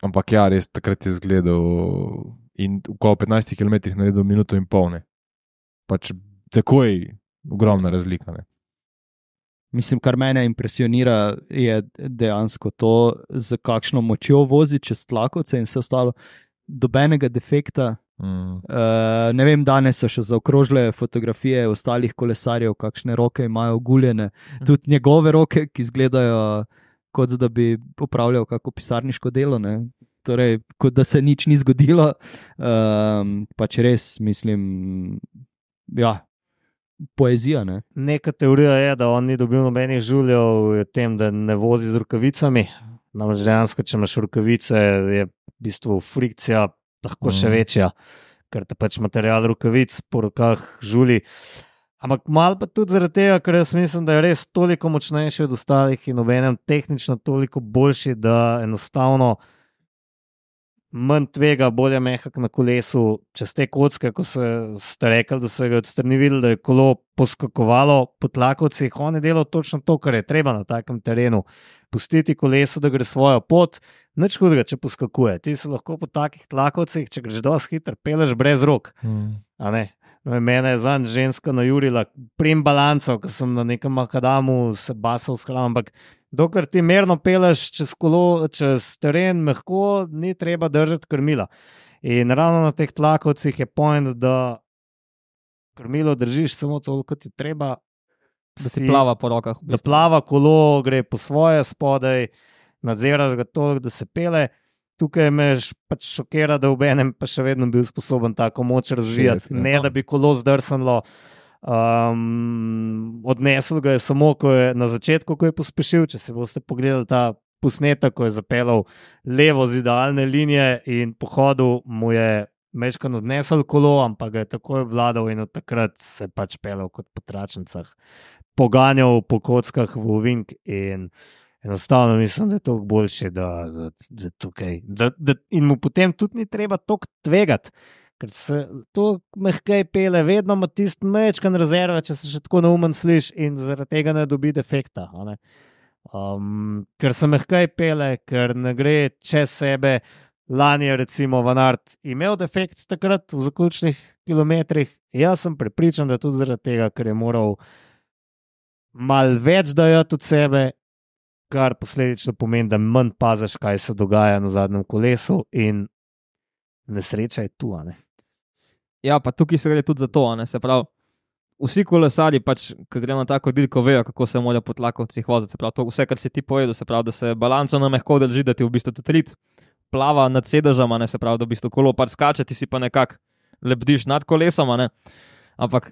ampak ja, res takrat je zgledal in v okolo petnajstih kilometrih naredil minuto in pol. Ne. Pač takoj ogromna razlika. Ne. Mislim, kar mene impresionira, je dejansko to, z kakšno močjo vozi čez tlakovce in vse ostalo. Dobenega defekta. Mm. Uh, ne vem, danes so še zaokrožile fotografije ostalih kolesarjev, kakšne roke imajo oguljene. Tudi njegove roke, ki izgledajo, kot da bi opravljal kako pisarniško delo. Ne? Torej, kot da se nič ni zgodilo. Um, pač res, mislim, ja, poezija. Ne? Neka teorija je, da on ni dobil nobenih žuljev, v tem, da ne vozi z rokavicami. Namreč dejansko, če imaš rokavice, je v bistvu frikcija lahko še Mhm. večja, ker te pač material rokavic po rokah žuli. Ampak malo pa tudi zaradi tega, ker jaz mislim, da je res toliko močnejši od ostalih in obenem tehnično toliko boljši, da enostavno manj tvega, bolje mehak na kolesu, čez te kocke, ko se ste rekli, da se ga odstrani videli, da je kolo poskakovalo po tlakovcih, on je delal točno to, kar je treba na takem terenu. Pustiti kolesu, da gre svojo pot, nič hudega, če poskakuje. Ti se lahko po takih tlakovcih, če greš dosti hitro, peleš brez rok. Mm. A ne? No, in mene je zanj ženska najurila, prim balanco, ko sem na nekem makadamu se basal s hrano, ampak dokler ti merno peleš čez kolo, čez teren, mehko, ni treba držati krmila. In ravno na teh tlakovcih je point, da krmilo držiš samo toliko, kot ti treba, Da ti plava po rokah. v da bistvu. plava kolo, gre po svoje spodaj, nadziraš ga toliko, da se pele. Tukaj me š- pač šokira, da v enem pa še vedno bil sposoben tako moč razvijati, šestdeset, ne da bi kolo zdrsnilo. Um, odnesel ga je samo, ko je na začetku, ko je pospešil. Če se boste pogledali ta posnetek, ko je zapeljal levo z idealne linije in po hodu mu je mečkan odnesel kolo, ampak ga je takoj vladal in od takrat se je pač peljal kot po tračnicah, poganjal po kockah v ovink in enostavno mislim, da je to boljše, da, da, da tukaj, da, da, in mu potem tudi ni treba toliko tvegati, ker se to mehkej pele, vedno ima tisti mečkan rezerve, če se še tako neumen sliš in zaradi tega ne dobi defekta. Ne? Um, ker se mehkej pele, ker ne gre čez sebe. Lani je recimo Van Aert imel defekt takrat v zaključnih kilometrih. Jaz sem prepričan, da tudi zaradi tega, ker je moral malo več dajati od sebe, kar posledično pomeni, da manj paziš, kaj se dogaja na zadnjem kolesu in nesreča je tu, a ne? Ja, pa tukaj se gre tudi za to, a ne, se pravi, vsi kolesarji, pač, ko gremo na tako dirko, vejo, kako se morajo po tlakovcih voziti, se pravi, to vse, kar si ti povedal, se pravi, da se balanco na mehko drži, da ti v bistvu tudi rit plava nad sedežem, a ne, se pravi, da v bistvu kolo par skače, ti si pa nekako lebdiš nad kolesom, a ne, ampak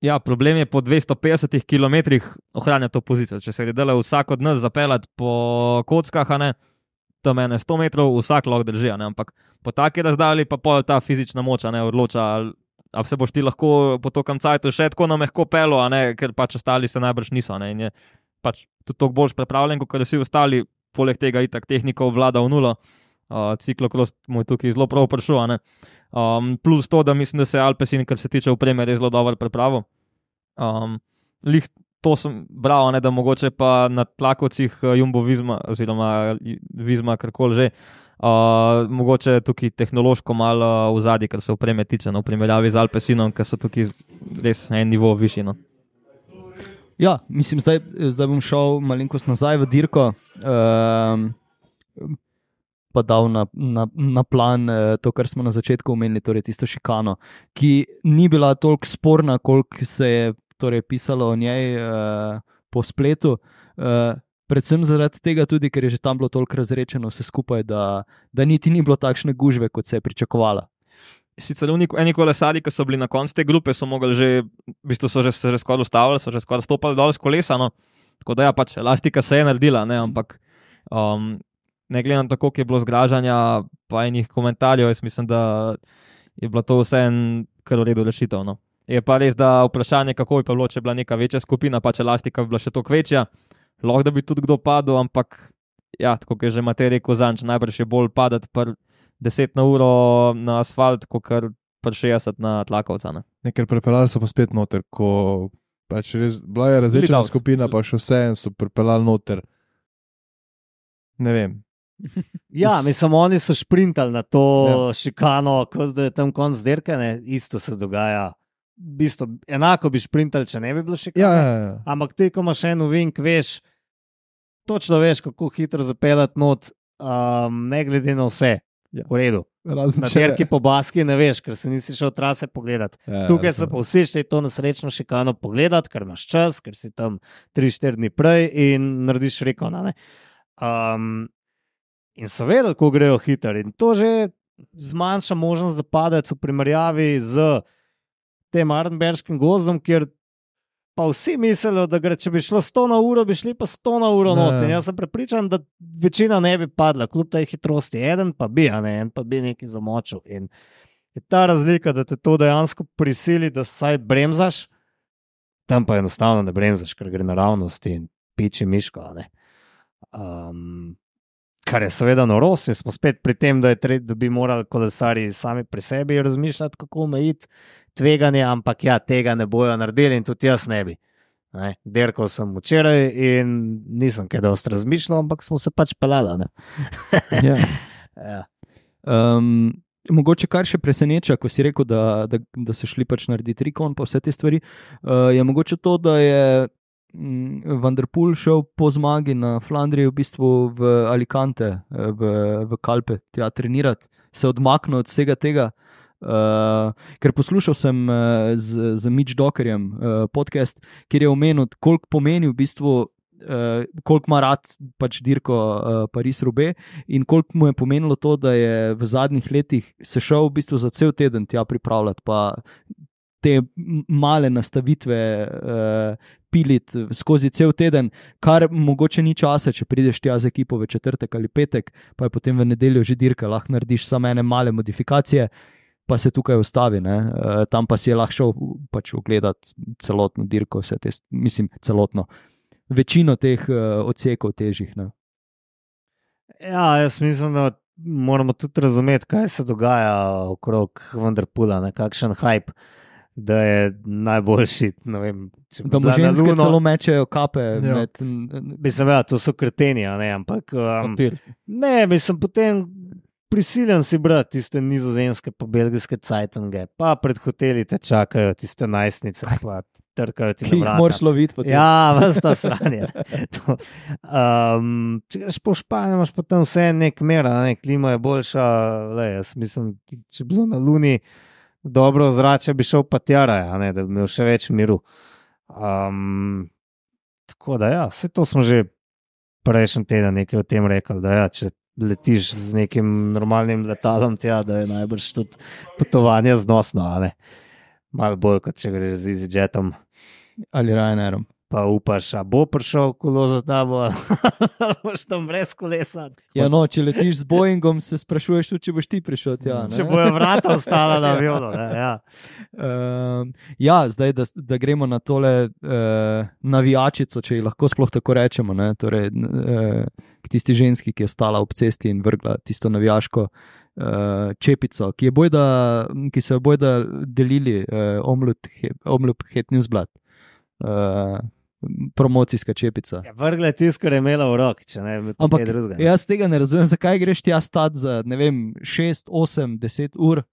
ja, problem je po dvesto petdesetih kilometrih ohranjati to pozicijo. Če se gre dela vsak od nas zapeljati po kockah, a ne, tam ene sto metrov, vsak lahko drži, a ne, ampak po taki razdalji pa pol ta fizična moč, a ne, odloča, ali, ali se boš ti lahko po tokem cajtu še tako na mehko pelo, a ne, ker pač ostali se najbrž niso, a ne, in je pač tudi toliko boljš pripravljen, kot vsi ostali, poleg tega itak tehnika vlada v nulo, uh, ciklokros mu je tukaj zelo prav prišel, a ne. Um, plus to, da mislim, da se Alpecin, kar se tiče opreme, res zelo dobro pripravil. Um, lih to sem bral, ne, da mogoče pa na tlakovcih Jumbo Visma, oziroma Visma, karkoli že, uh, mogoče tukaj tehnološko malo v zadnji, kar se opreme tiče, no, v primerjavi z Alpecinom, ker so tukaj res en nivo višji. No. Ja, mislim, zdaj, zdaj bom šel malenkost nazaj v dirko. Um, pa dal na, na, na plan eh, to, kar smo na začetku omenili, torej tisto šikano, ki ni bila toliko sporna, koliko se je torej pisalo o njej eh, po spletu, eh, predvsem zaradi tega tudi, ker je že tam bilo toliko razrečeno vse skupaj, da, da niti ni bilo takšne gužve, kot se je pričakovala. Sicer eni kolesari, ki so bili na koncu te grupe, so mogli že, v bistvu so že, se že skoraj ustavili, so že skoraj stopali dol z kolesa, no, tako da ja, pač elastika se je naredila, ne, ampak um, ne gledam tako, koliko je bilo zgražanja pa enih komentarjev, jaz mislim, da je bilo to vse en kar v redu rešitev. No. Je pa res, da vprašanje, kako bi pa bilo, če je bila neka večja skupina, pa če elastika bi bila še toliko večja, lahko da bi tudi kdo padel, ampak ja, tako je že Matej rekel zanč, najbrž je bolj padati par deset na uro na asfalt, kot kar par šestdeset na tlakovca. Ne. Nekaj prepeljali so pa spet noter, ko pač res, bila je različna skupina, pa še vse en so prepeljali noter. Ne vem. Ja, mislim, oni so šprintali na to ja. šikano, kot da je tam konc dirke, ne, isto se dogaja. V bistvu, enako bi šprintali, če ne bi bilo šikane. Ja, ja, ja. Ampak ti, ko imaš en ovink, veš, točno veš, kako hitro zapeljati not, um, ne glede na vse. Ja. V redu. Razen na če- dirki po Baski ne veš, ker se nisi šel trase pogledati. Ja, Tukaj ja, se pa vsi šli to nesrečno šikano pogledati, ker imaš čas, ker si tam tri štiri dni prej in narediš rekona. Ne? Um, in so vedeli, ko grejo hitro. In to že zmanjša možnost za padec v primerjavi z tem Arenberškim gozdom, kjer pa vsi mislijo, da gre, če bi šlo sto na uro, bi šli pa sto na uro Ne. not. In jaz sem prepričan, da večina ne bi padla, kljub tej hitrosti. Eden pa bi, a ne, en pa bi nekaj zamočil. In je ta razlika, da te to dejansko prisili, da saj bremzaš, tam pa enostavno ne bremzaš, ker gre naravnost in piči miško. a ne. Um, kar je seveda norost, in smo spet pri tem, da, je tre, da bi morali kolesarji sami pri sebi razmišljati, kako omejiti tveganje, ampak ja, tega ne bojo naredili in tudi jaz ne bi. Ne? Derkal sem včeraj in nisem kaj dosti razmišljal, ampak smo se pač pelali. Ja. Ja. Um, mogoče kar še preseneča, ko si rekel, da, da, da so šli pač narediti rikon pa vse te stvari, uh, je mogoče to, da je mm, Van der Poel šel po zmagi na Flandriji v bistvu v Alicante, eh, v, v Kalpe, tja trenirati, se odmaknil od vsega tega. Uh, ker poslušal sem uh, z, z Mitch Dockerjem uh, podcast, kjer je omenil, koliko pomeni v bistvu, uh, koliko ima rad pač dirko uh, Paris-Roubaix in koliko mu je pomenilo to, da je v zadnjih letih se šel v bistvu za cel teden tja pripravljati, pa te male nastavitve uh, piliti skozi cel teden, kar mogoče ni časa, če prideš tja z ekipo v četrtek ali petek, pa je potem v nedeljo že dirka, lahko narediš samo ene male modifikacije, pa se tukaj ustavi. Uh, tam pa si je lahko šel pač ogledati celotno dirko, vse te, mislim, celotno, večino teh uh, odsekov težjih. Ne? Ja, jaz mislim, da moramo tudi razumeti, kaj se dogaja okrog Vanderpoola, ne, kakšen hype, da je najboljši. Vem, da mu ženske Luno, celo mečejo kape. Ja. Med, mislim, ja, to so kreteni, ne, ampak um, ne, mislim, potem prisiljen si brati tiste nizozemske pa belgijske cajtange, pa pred hoteli te čakajo tiste najstnice, pa trkajo ti na vrata. Ki jih moraš loviti potem. Ja, vas ta sranje. um, če greš po Španiji, imaš pa tam vse nek mera, ne, klima je boljša, le, jaz mislim, če bi bilo na Luni dobro zrače, bi šel pa tjara, ne, da bi imel še več miru. Um, tako da ja, vse to smo že prejšnji teden nekaj o tem rekli, da ja, če letiš z nekim normalnim letalom tja, da je najbrž tudi potovanje znosno, a ne. Malo bolj, kot če greš z EasyJetom. Ali Ryanairom. Pa upaš, a bo prišel kolo za tabo, ali boš tam brez kolesa. Ja, no, če letiš z Boeingom, se sprašuješ tudi, če boš ti prišel tja. Ne? Če bojo vrata ostala na avionu. Ja. Uh, ja, zdaj, da, da gremo na tole uh, navijačico, če ji lahko sploh tako rečemo, ne? Torej, uh, k tisti ženski, ki je stala ob cesti in vrgla tisto navijaško uh, čepico, ki, je bojda, ki so jo bojda delili uh, Omloop Het Nieuwsblad. Uh, promocijska čepica. Ja, vrgle tisto, kar je imela v roki, če ne bi Ampak kaj drugega. Jaz tega ne razumem, zakaj greš tja stati za, ne vem, šest, osem, deset ur.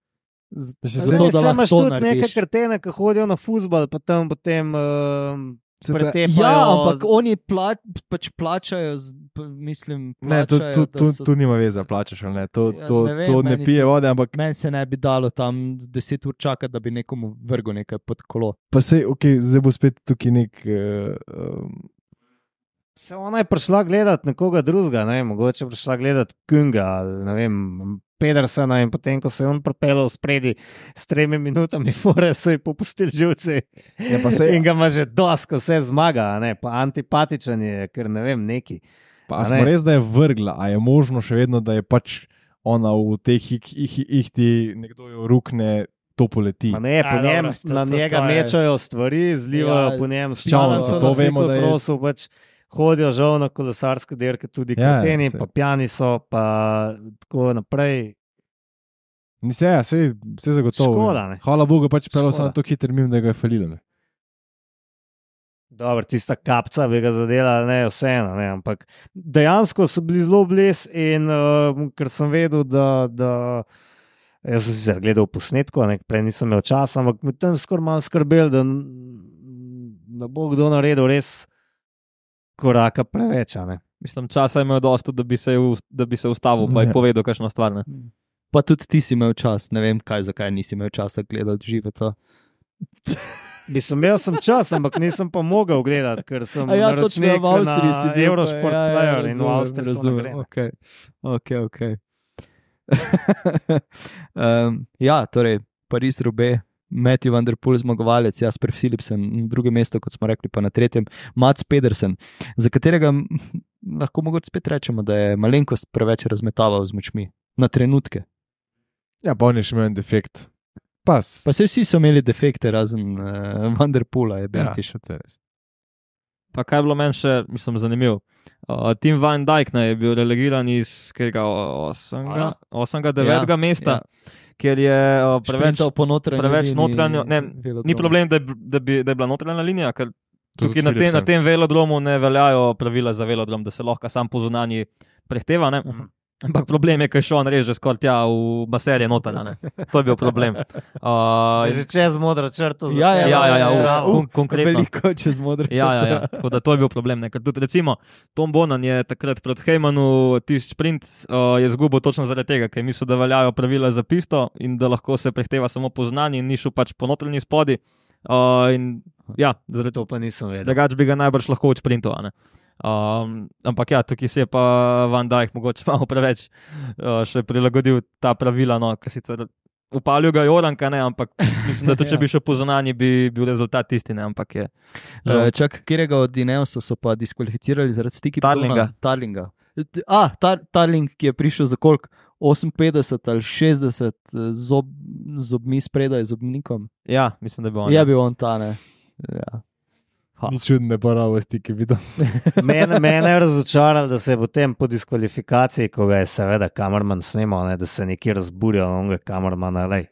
Z, zato, da lahko imaš tudi neke krtene, ki hodijo na fuzbal, pa tam potem uh, pretepajo. Ja, ampak oni pla, pač plačajo, z, mislim, plačajo. Ne, to, to, to, so... to nima veze, plačaš ali ne. To, ja, to, ne, vem, to ne meni, pije vode, ampak... Meni se ne bi dalo tam deset ur čakati, da bi nekomu vrgel nekaj pod kolo. Pa sej, ok, zdaj bo spet tukaj nek... Uh, um... Se ona je prišla gledati nekoga drugega, ne, mogoče prišla gledati Kunga ali ne vem, Pedersena, in potem, ko se je on pripeljal spredi s tremi minutami fore, so ji popustili živci. Ja, pa se... In ga ima že dosko, vse zmaga, ne, pa antipatičen je, ker ne vem, neki. Pa smo res, da je vrgla, a je možno še vedno, da je pač ona v teh ihti, nekdo jo rukne, to poleti. Pa ne, po njem, na njega mečajo stvari, zlivajo po njem s čalom, so to vemo, da je... Pač hodijo žal na kolesarske dirke, tudi ja, kreteni, pa pjani so, pa tako naprej. Ni se, ja, se, se zagotovo. Škoda, ne. Hvala Bogu, pač pelil sem na to hiter mim, da ga je falilo, ne. Dobro, tista kapca bi ga zadela, ne, vseeno, ne, ampak dejansko so bili zelo bles in uh, ker sem vedel, da, da jaz sem sicer gledal posnetko, ne, prej nisem imel časa, ampak mi tam skoraj malo skrbel, da, da bo kdo naredil res koraka preveč, ne. Mislim, časa je imel dosto, da bi se, da bi se ustavil, pa je povedal kakšno stvar, ne. Pa tudi ti si imel čas, ne vem kaj, zakaj nisi imel časa gledati žive to. Mislim, imel sem čas, ampak nisem pa mogel gledati, ker sem ja, naročnik v Avstriji na si bil, Eurosport ja, ja, Player razumem, in v Avstriji razumem, to ne gre. Ok, ok, ok. um, ja, torej, Paris-Roubaix, Matthew Van Der Poel zmagovalec, Jasper Philipsen na drugem mestu, kot smo rekli, pa na tretjem Mats Pedersen, za katerega lahko mogoče spet rečemo, da je malenkost preveč razmetaval z močmi, na trenutke. Ja, pa on je še imel en defekt. Pa, s... pa se vsi so imeli defekte, razen uh, Van Der Poela, je bil ja, ti še to res. Pa kaj je bilo meni še, mislim, zanimivo. Uh, Tim Van Dijk ne, je bil relegiran iz osmega devetega ja, mesta, ja. Ker je uh, preveč, preveč notranjo, ne, ni problem, da je, da, bi, da je bila notranja linija, ker tukaj na, te, na tem velodromu ne veljajo pravila za velodrom, da se lahko sam po zunanji prehteva, ne? Uh-huh. Ampak problem je, ker še on reže skoraj tja v baserje notranja, ne? To je bil problem. Uh, je že čez modro črto. Ja, ja, ja, ja, ja, ja kon, konkretno. Veliko čez modro črto. Ja, ja, ja, tako da to je bil problem, ne? Ker tudi recimo Tom Bonan je takrat pred Heymanu tisti sprint uh, je zgubil točno zaradi tega, ker mislil, da veljajo pravila za pisto in da lahko se prehteva samo po zunanji in ni šel pač po notranji spodi. Uh, in ja, zaradi to pa nisem vedel. Drugač bi ga najbrž lahko odsprintoval, ne? Um, ampak ja, tukaj se je pa Van Dijk mogoče malo preveč uh, še prilagodil ta pravila, no, ker sicer upalil ga Joranka, ne, ampak mislim, da tudi, če bi šel po zunanji, bi bil rezultat isti, ne, ampak je. Uh, čak, kjerega od Ineosa so pa diskvalificirali zaradi stiki Tarlinga. Tarlinga. A, tar, Tarling, ki je prišel za koliko? oseminpetdeset ali šestdeset zob, zobmi spredaj, zobnikom. Ja, mislim, da bi on. Je bil on ta, ne. Ja. Ni čudne baravosti, ki bi to. Mene, mene je razočaralo, da se je potem po diskvalifikaciji, ko ga je seveda kamerman snimal, ne, da se je nekje razburjal onega kamermana, lej.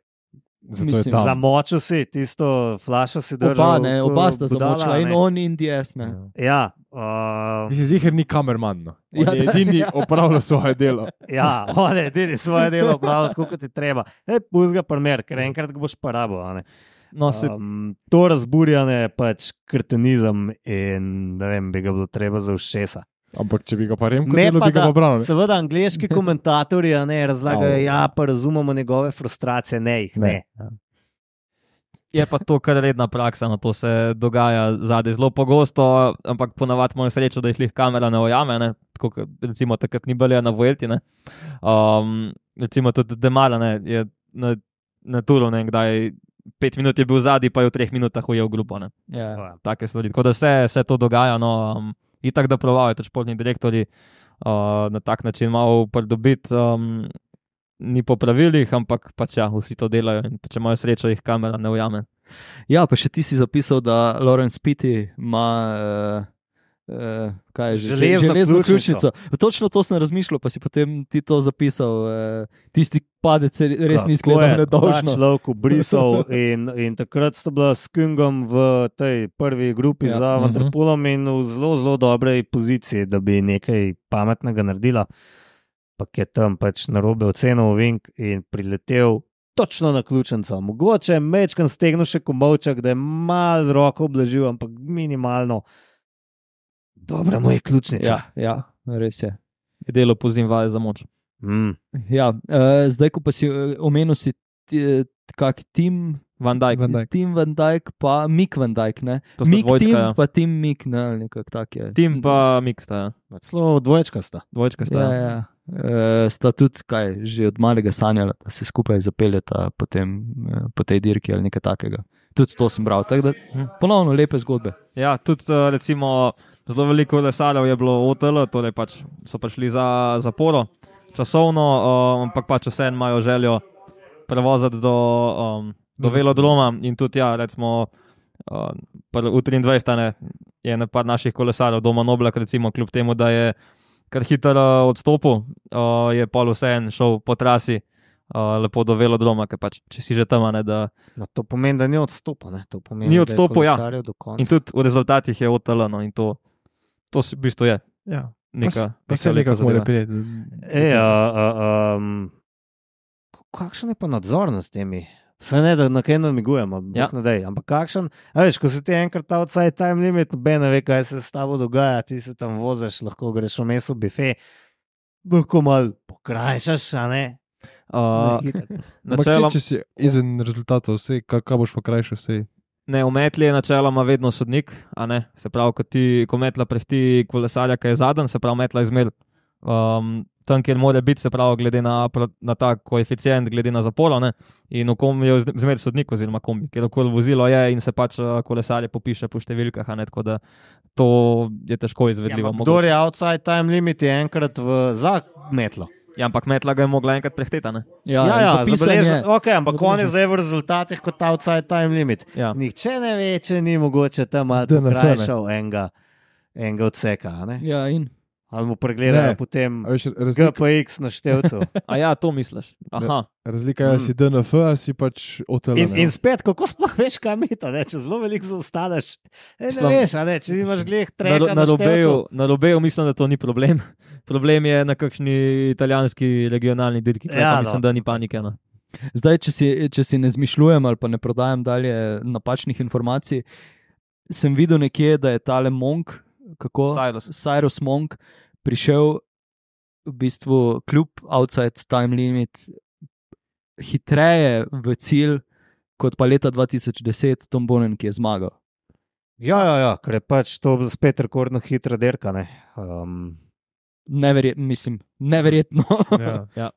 Zato je tam. Zamočil si tisto flašo si držal. Oba, ne, oba sta budala, zamočila, in ne. on in D S, ne. Ja, uh, Mislim, ziher ni kamerman, no. On Ja, je da. edini opravljal svoje delo. ja, on je edini svoje delo opravljal tako, kot ti treba. Ej, pusti ga primer, ker enkrat ga boš porabil, a ne. No, se, Um, to razburjanje je pač kretenizem in ne vem, bi ga bilo treba za ušesa. Ampak če bi ga pa Remko Ne delo, pa bi ga da, pa branil. seveda angleški komentatorji a ne, razlagajo, Au. ja, pa razumemo njegove frustracije, ne jih ne. Ja. je pa to kar redna praksa, no, to se dogaja zadaj zelo pogosto, ampak ponavadi imamo srečo, da jih lih kamera ne ujame, ne, tako kot recimo takrat ni bilo na Vuelti, ne. Um, recimo tudi Demara, ne, je na, na Turu, ne, kdaj pet minut je bil zadaj, pa je v treh minutah ujel grupo, ne. Ja. Take stvari. Tako da vse se to dogaja, no, um, itak da provajo tudi športni direktorji uh, na tak način malo pridobiti, um, ni po pravilih, ampak pač ja, vsi to delajo in če imajo srečo, jih kamera ne ujame. Ja, pa še ti si zapisal, da Lawrence Pitty ima uh, uh, kaj je že, Železno železno ključnico. ključnico. Točno to sem razmišljal, pa si potem ti to zapisal. Uh, tisti padec se res ni Kako izgledal je ta nedolžno. človek brisal in, in takrat sta bila s Kungom v tej prvi grupi Ja. ja. za Mhm. Vanderpoolom in v zelo, zelo dobrej poziciji, da bi nekaj pametnega naredila. Pa je tam pač narobe ocenil Vink in priletel točno na ključnico. Mogoče je mečkan stegnil še komovček, da je malo z roko oblažil, ampak minimalno. Dobra mu je ključnica. Ja, ja, res je. Je delo pozim vaje za moč. Mm. Ja, uh, zdaj, ko pa si uh, omenil, si ti, kak tim. Van Dijk. Van Dijk. Tim Van Dijk, pa Mick Van Dijk, ne? To sta Mick dvojčka, Tim, ja. pa Tim Mick, ne, ali nekako tak je. Tim pa Mick sta, ja. Celo dvojčka sta. Dvojčka sta. Ja, ja. Uh, sta tudi, kaj, že od malega sanjala, da se skupaj zapeljeta potem, uh, po tej dirki ali nekaj takega. Tudi to sem bral, tako da ponovno lepe zgodbe. Ja, tudi uh, recimo zelo veliko lesarjev je bilo O T L, torej pač so prišli za zaporo časovno, uh, ampak pač vseeno imajo željo prevoziti do, um, do velodroma in tudi ja, recimo uh, v triindvajset ne, je na par naših kolesarjev doma Noblak, recimo kljub temu, da je kar hitro uh, odstopil, uh, je pol vseeno šel po trasi uh, lepo do velodroma, ker pač če si že tam, ne, da No, to pomeni, da ni odstopil. Ne? To pomeni, Ni da je odstopil, ja. kolesaril do konca. in tudi v rezultatih je O T L, no, in to, to v bistvu je Ja. neka, Pa se neka lepa nekako mora zadeva. prijeti. E, a, a, um, kakšen je pa nadzor nad temi? Vse ne, da na kaj namigujemo, Ja. ja. ampak kakšen, a veš, ko si ti enkrat outside time limit, noben ne ve, kaj se s tabo dogaja, ti se tam voziš, lahko greš v meso bife, lahko malo pokrajšaš, a ne? Uh, Ne, hitro. Ampak načeloma, saj, če si izven rezultatov, vse, kaj, kaj boš pa krajšal, vse. ne, v metli je načeloma vedno sodnik, a ne, se pravi, ko, ti, ko metla prehti kolesarja, ki je zadnji, se pravi, metla izmer um, tam, kjer mora biti, se pravi, glede na, pro- na ta koeficient, glede na zaporo, ne, in v kom je zmer sodnik, oziroma kombi, kjer okoli vozilo je in se pač uh, kolesarje popiše po številkah, a ne, tako da to je težko Ja, izvedljivo. ampak kdor je outside time limit, je enkrat v za metlo. Ja, ampak metla ga je mogla enkrat prehteti, ne. Ja, ja, zapisan je. zabeležen. Okay, ampak on je zdaj v rezultatih kot outside time limit. Ja. Nihče ne ve, če ni mogoče tam malo D N F, ne. pokrajšal enega, enega odseka, a ne? Ja, in Ali mu pregledajo Ne. potem A veš, G razlika, P X na števcu. A ja, to misliš. Aha. razlika je, ali si D N F, ali si pač O T L. In, ne. in spet, kako sploh veš, kam je to, če zelo veliko zaostaneš. E, ne Mislim, veš, a ne, če imaš gleh Na, treka ro- na, na, na robeju, števcu. na robeju mislim, da to ni problem. Problem je na kakšni italijanski regionalni dirki, kjer Ja, ja, no. mislim, da ni panike. No. zdaj, če si, če si ne zmišljujem ali pa ne prodajam dalje napačnih informacij, sem videl nekje, da je tale Monk, kako Cyrus. Cyrus Monk, prišel v bistvu kljub outside time limit hitreje v cilj kot pa leta dva tisoč deset Tom Bonen, ki je zmagal. Ja, ja, ja, ker je pač to spet rekordno hitra derka. Ne? Um, Neverjetno, mislim, neverjetno. Ja. Ja.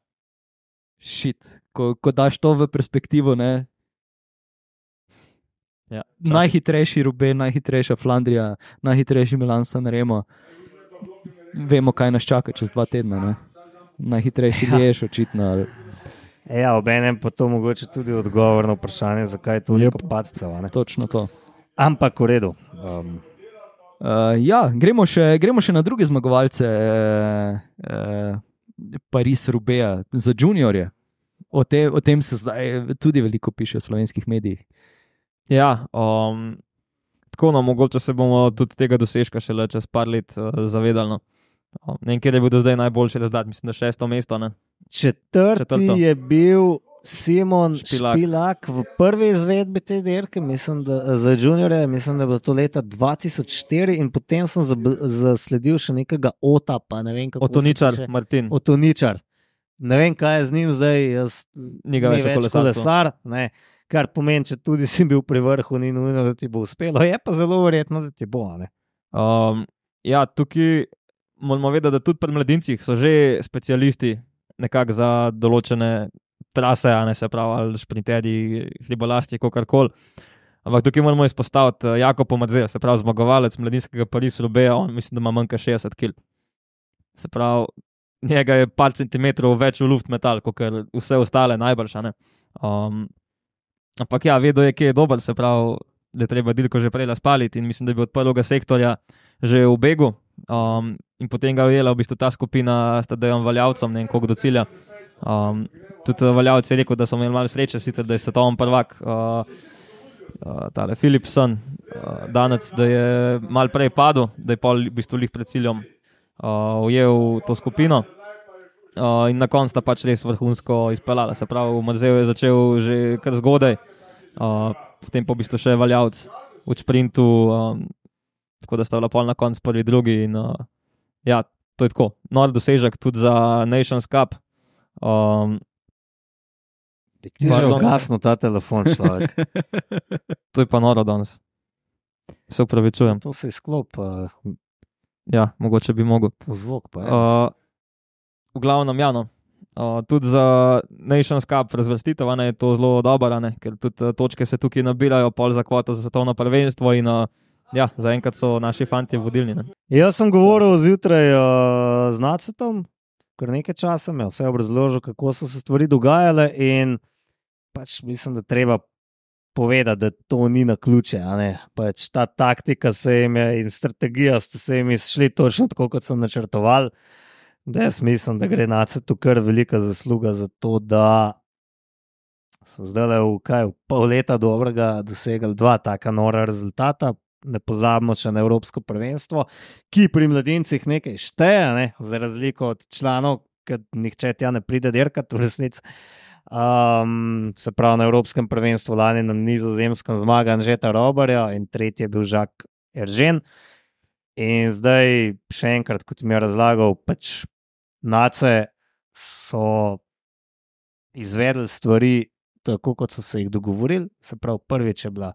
Šit, ko, ko daš to v perspektivo, ne. Ja, Najhitrejši Rube, najhitrejša Flandrija, najhitrejši Milan San Remo. Vemo, kaj nas čaka čez dva tedna. Ne? Najhitrejši Liež, očitno. Ali... Ja, ob enem pa to mogoče tudi odgovor na vprašanje, zakaj je toliko Yep. padcev. a ne? Točno to. Ampak v redu. Um, Uh, ja, gremo še, gremo še na druge zmagovalce uh, uh, Paris-Rubeja za juniorje. O, te, o tem se zdaj tudi veliko piše v slovenskih medijih. Ja, um, tako no, mogoče se bomo tudi tega dosežka šele čez par let uh, zavedali. No. Um, ne vem, kjer je bil do zdaj najboljši rezultat, mislim, da šesto mesto. Ne? četrti Četrto. je bil Simon Špilak. Špilak v prvi izvedbi te dirke, mislim, da, za juniorje, mislim, da je bilo to leta dva tisoč štiri in potem sem zab- zasledil še nekega Ota, pa ne vem kako se Otoničar, piše. Martin. Otoničar. Ne vem, kaj je z njim zdaj, jaz Ni ga ni več v kolesarstvu. kolesar, ne, kar pomeni, če tudi si bil pri vrhu, ni nujno, da ti bo uspelo, je pa zelo verjetno, da ti bo. a Ne? Um, ja, tukaj moramo vedeti, da tudi pri mladincih so že specialisti nekako za določene trase, a ne se pravi, ali šprinterji, hribolasti, kakorkoli. Ampak tukaj moramo izpostaviti uh, Jakob Madzel, se pravi zmagovalec mladinskega Paris-Roubaix, on mislim, da ima manj kot šestdeset kil. Se pravi, njega je par centimetrov več v luft metal, kot vse ostale najbrž. a ne. Um, ampak ja, vedo je, kje je dober, se pravi, da je treba dirko že prej razpaliti in mislim, da je bil od prvega sektorja že v begu. Um, in potem ga je ujela v bistvu ta skupina s Tadejem Valjavcem, ne vem koliko do cilja. Um, tudi Valjavc je rekel, da so imeli malo sreče, sicer da je svetovni prvak uh, uh, tale Philipson uh, danes, da je malo prej padel, da je pol v bistvu lih pred ciljem uh, ujel to skupino. Uh, in na koncu sta pač res vrhunsko izpeljala. Se pravi, Madzel je začel že kar zgodaj, uh, potem pa v bistvu še Valjavc v sprintu, um, tako da sta bila pol na koncu prvi, drugi. In, uh, ja, to je tako. Nor dosežek tudi za Nations Cup. Um, Bi ti že Pardon. ugasnil ta telefon, človek. to je pa noro danes. Se upravičujem. To se izklop, uh, Ja, mogoče bi mogel. zvok pa je. Uh, v glavnem, ja, no. Uh, tudi za Nations Cup razvrstitev a ne, je to zelo dobro, a ne, ker tudi uh, točke se tukaj nabirajo, pol za kvoto za svetovno prvenstvo in uh, ja, zaenkrat so naši fantje vodilni. Ne. Jaz sem govoril zjutraj uh, z Nacetom, kar nekaj časa mi je vse obrazložil, kako so se stvari dogajale in pač mislim, da treba povedati, da to ni na ključe. Pač ta taktika se jim je in strategija ste se jim šli točno tako, kot so načrtovali. Da jaz mislim, da gre Nacetu kar velika zasluga za to, da so zdaj v, kaj, v pol leta dobrega dosegali dva taka nora rezultata. Ne pozabimo še na Evropsko prvenstvo, ki pri mladincih nekaj šteje, ne? Za razliko od članov, ker nihče tja ne pride dirkati v resnici. Um, se pravi, na Evropskem prvenstvu lani na Nizozemskem zmaga Anžeta Robarja in tretji je bil Žak Eržen. In zdaj še enkrat, kot mi je razlagal, pač Nace so izvedli stvari tako, kot so se jih dogovorili. Se pravi, prvič je bila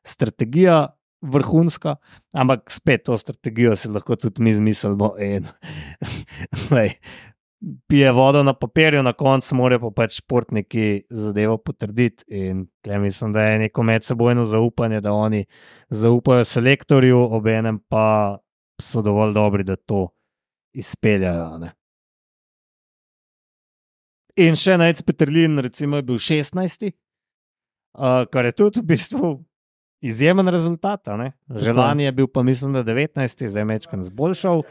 strategija vrhunska, ampak spet to strategijo si lahko tudi mi zmislimo in pije vodo na papirju, na koncu morajo pa pač športniki zadevo potrditi in tukaj mislim, da je neko medsebojno zaupanje, da oni zaupajo selektorju, obenem pa so dovolj dobri, da to izpeljajo. Ne? In še Najc Peterlin recimo je bil šestnajsti, uh, kar je tudi v bistvu izjemen rezultat. Že lani je bil pa mislim, da devetnajsti, zdaj mečkan zboljšal.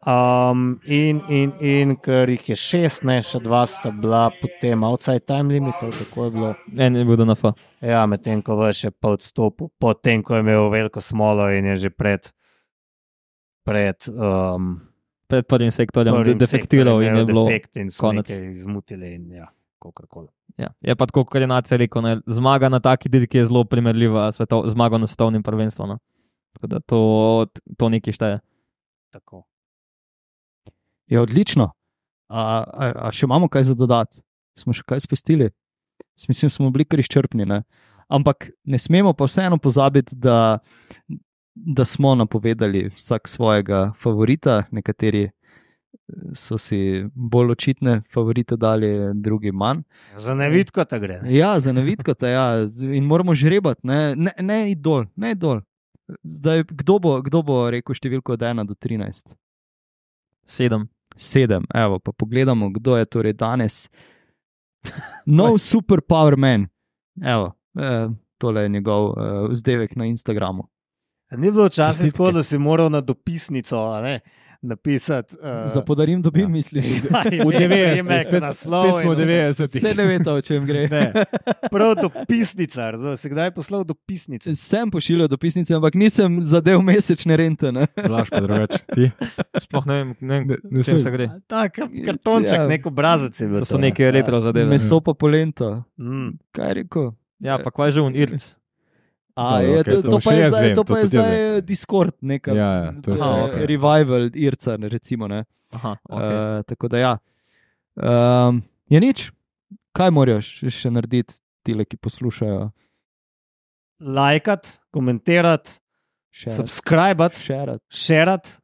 Um, in, in, in ker jih je šest, ne, še dva sta bila potem outside time limit, tako je bilo. En je bil D N F. Ja, medtem ko je še pa odstopil, potem ko je imel veliko smolo in je že pred, pred, um, Pred prvim sektorjem prvim defektiral sektorjem in je imel bilo defekt in so konec. nekaj izmutili in ja, kakorkoli. Ja, je pa tako, kot je Nace rekel, ne, zmaga na taki dirki je zelo primerljiva s svetov, zmago na svetovnem prvenstvu. No. Tako da to, to nekaj šteje. Tako. Je odlično. A, a, a še imamo kaj za dodati? Smo še kaj spustili? Mislim, smo bili kar izčrpni. Ne? Ampak ne smemo pa vseeno pozabiti, da, da smo napovedali vsak svojega favorita. Nekateri so si bolj očitne favorite dali, drugi manj. Za nevidko ta gre. Ne? Ja, za nevidko ta ja. In moramo žrebati, ne, ne, ne idol, ne idol. Zdaj, kdo bo, kdo bo rekel številko od ena do trinajst? Sedem. Sedem, evo, pa pogledamo, kdo je torej danes. No super power man. Evo, eh, tole je njegov eh, vzdevek na Instagramu. Ni bilo včasih Čestitke. tako, da si moral na dopisnico a ne, napisati. Uh, Za podarim dobim, ja. misliš? V devetdesetih, spet, spet smo v devetdesetih. Vse ne veste, o čem gre. Ne, prav dopisnica, razumem, si kdaj poslal dopisnice? Sem pošiljal dopisnice, ampak nisem zadev mesečne rente. Ne? Laž pa drugače. Ti? Sploh ne vem, ne Ne- vem, ne čem sej. se gre. Tak, kartonček, Ja. nek obrazec je bil. To so ne. neke retro zadeve. Meso pa polento. Mm. Kaj je rekel? Ja, pa kvaj že un irc. A, Dobro, je, okej, to, to to, še pa je jaz zdaj, vem, to to pa je tudi jaz zdaj Discord, neka Ja, ja, to je eh, Aha, okej. revival Irca, recimo. Ne? Aha, Okay. okay. Uh, tako da ja. Um, je nič, kaj moraš še narediti, tile, ki poslušajo? Lajkat, komentirati, subscribati, Šerat. šerat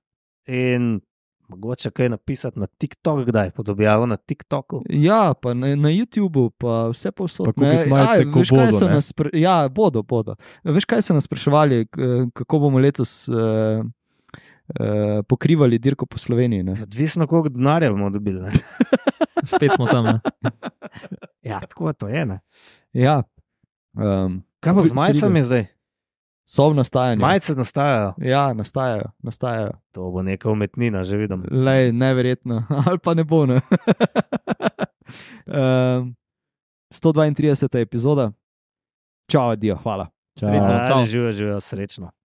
in mogoče kaj napisati na TikTok, kdaj podobjavo na TikToku. Ja, pa na, na YouTubu, pa vse povsod. Pa kupiti majice, ko veš, kaj bodo, so ne? nas spra- Ja, bodo, bodo. Veš, kaj so nas spraševali, k- kako bomo letos uh, uh, pokrivali dirko po Sloveniji? Ne? Odvisno, koliko denarja bomo dobili. Ne? Spet smo tam. Ne? Ja, tako to je. Ne? Ja. Um, Kaj pa z Pride. majicami zdaj? so v nastajanju. Majice nastajajo. Ja, nastajajo, nastajajo. To bo neka umetnina, že vidim. Lej, neverjetno, ali pa ne bo. Ne? um, sto dvaintrideseta epizoda. Čau, adijo, hvala. Srečno, čau. Živijo, živijo, srečno.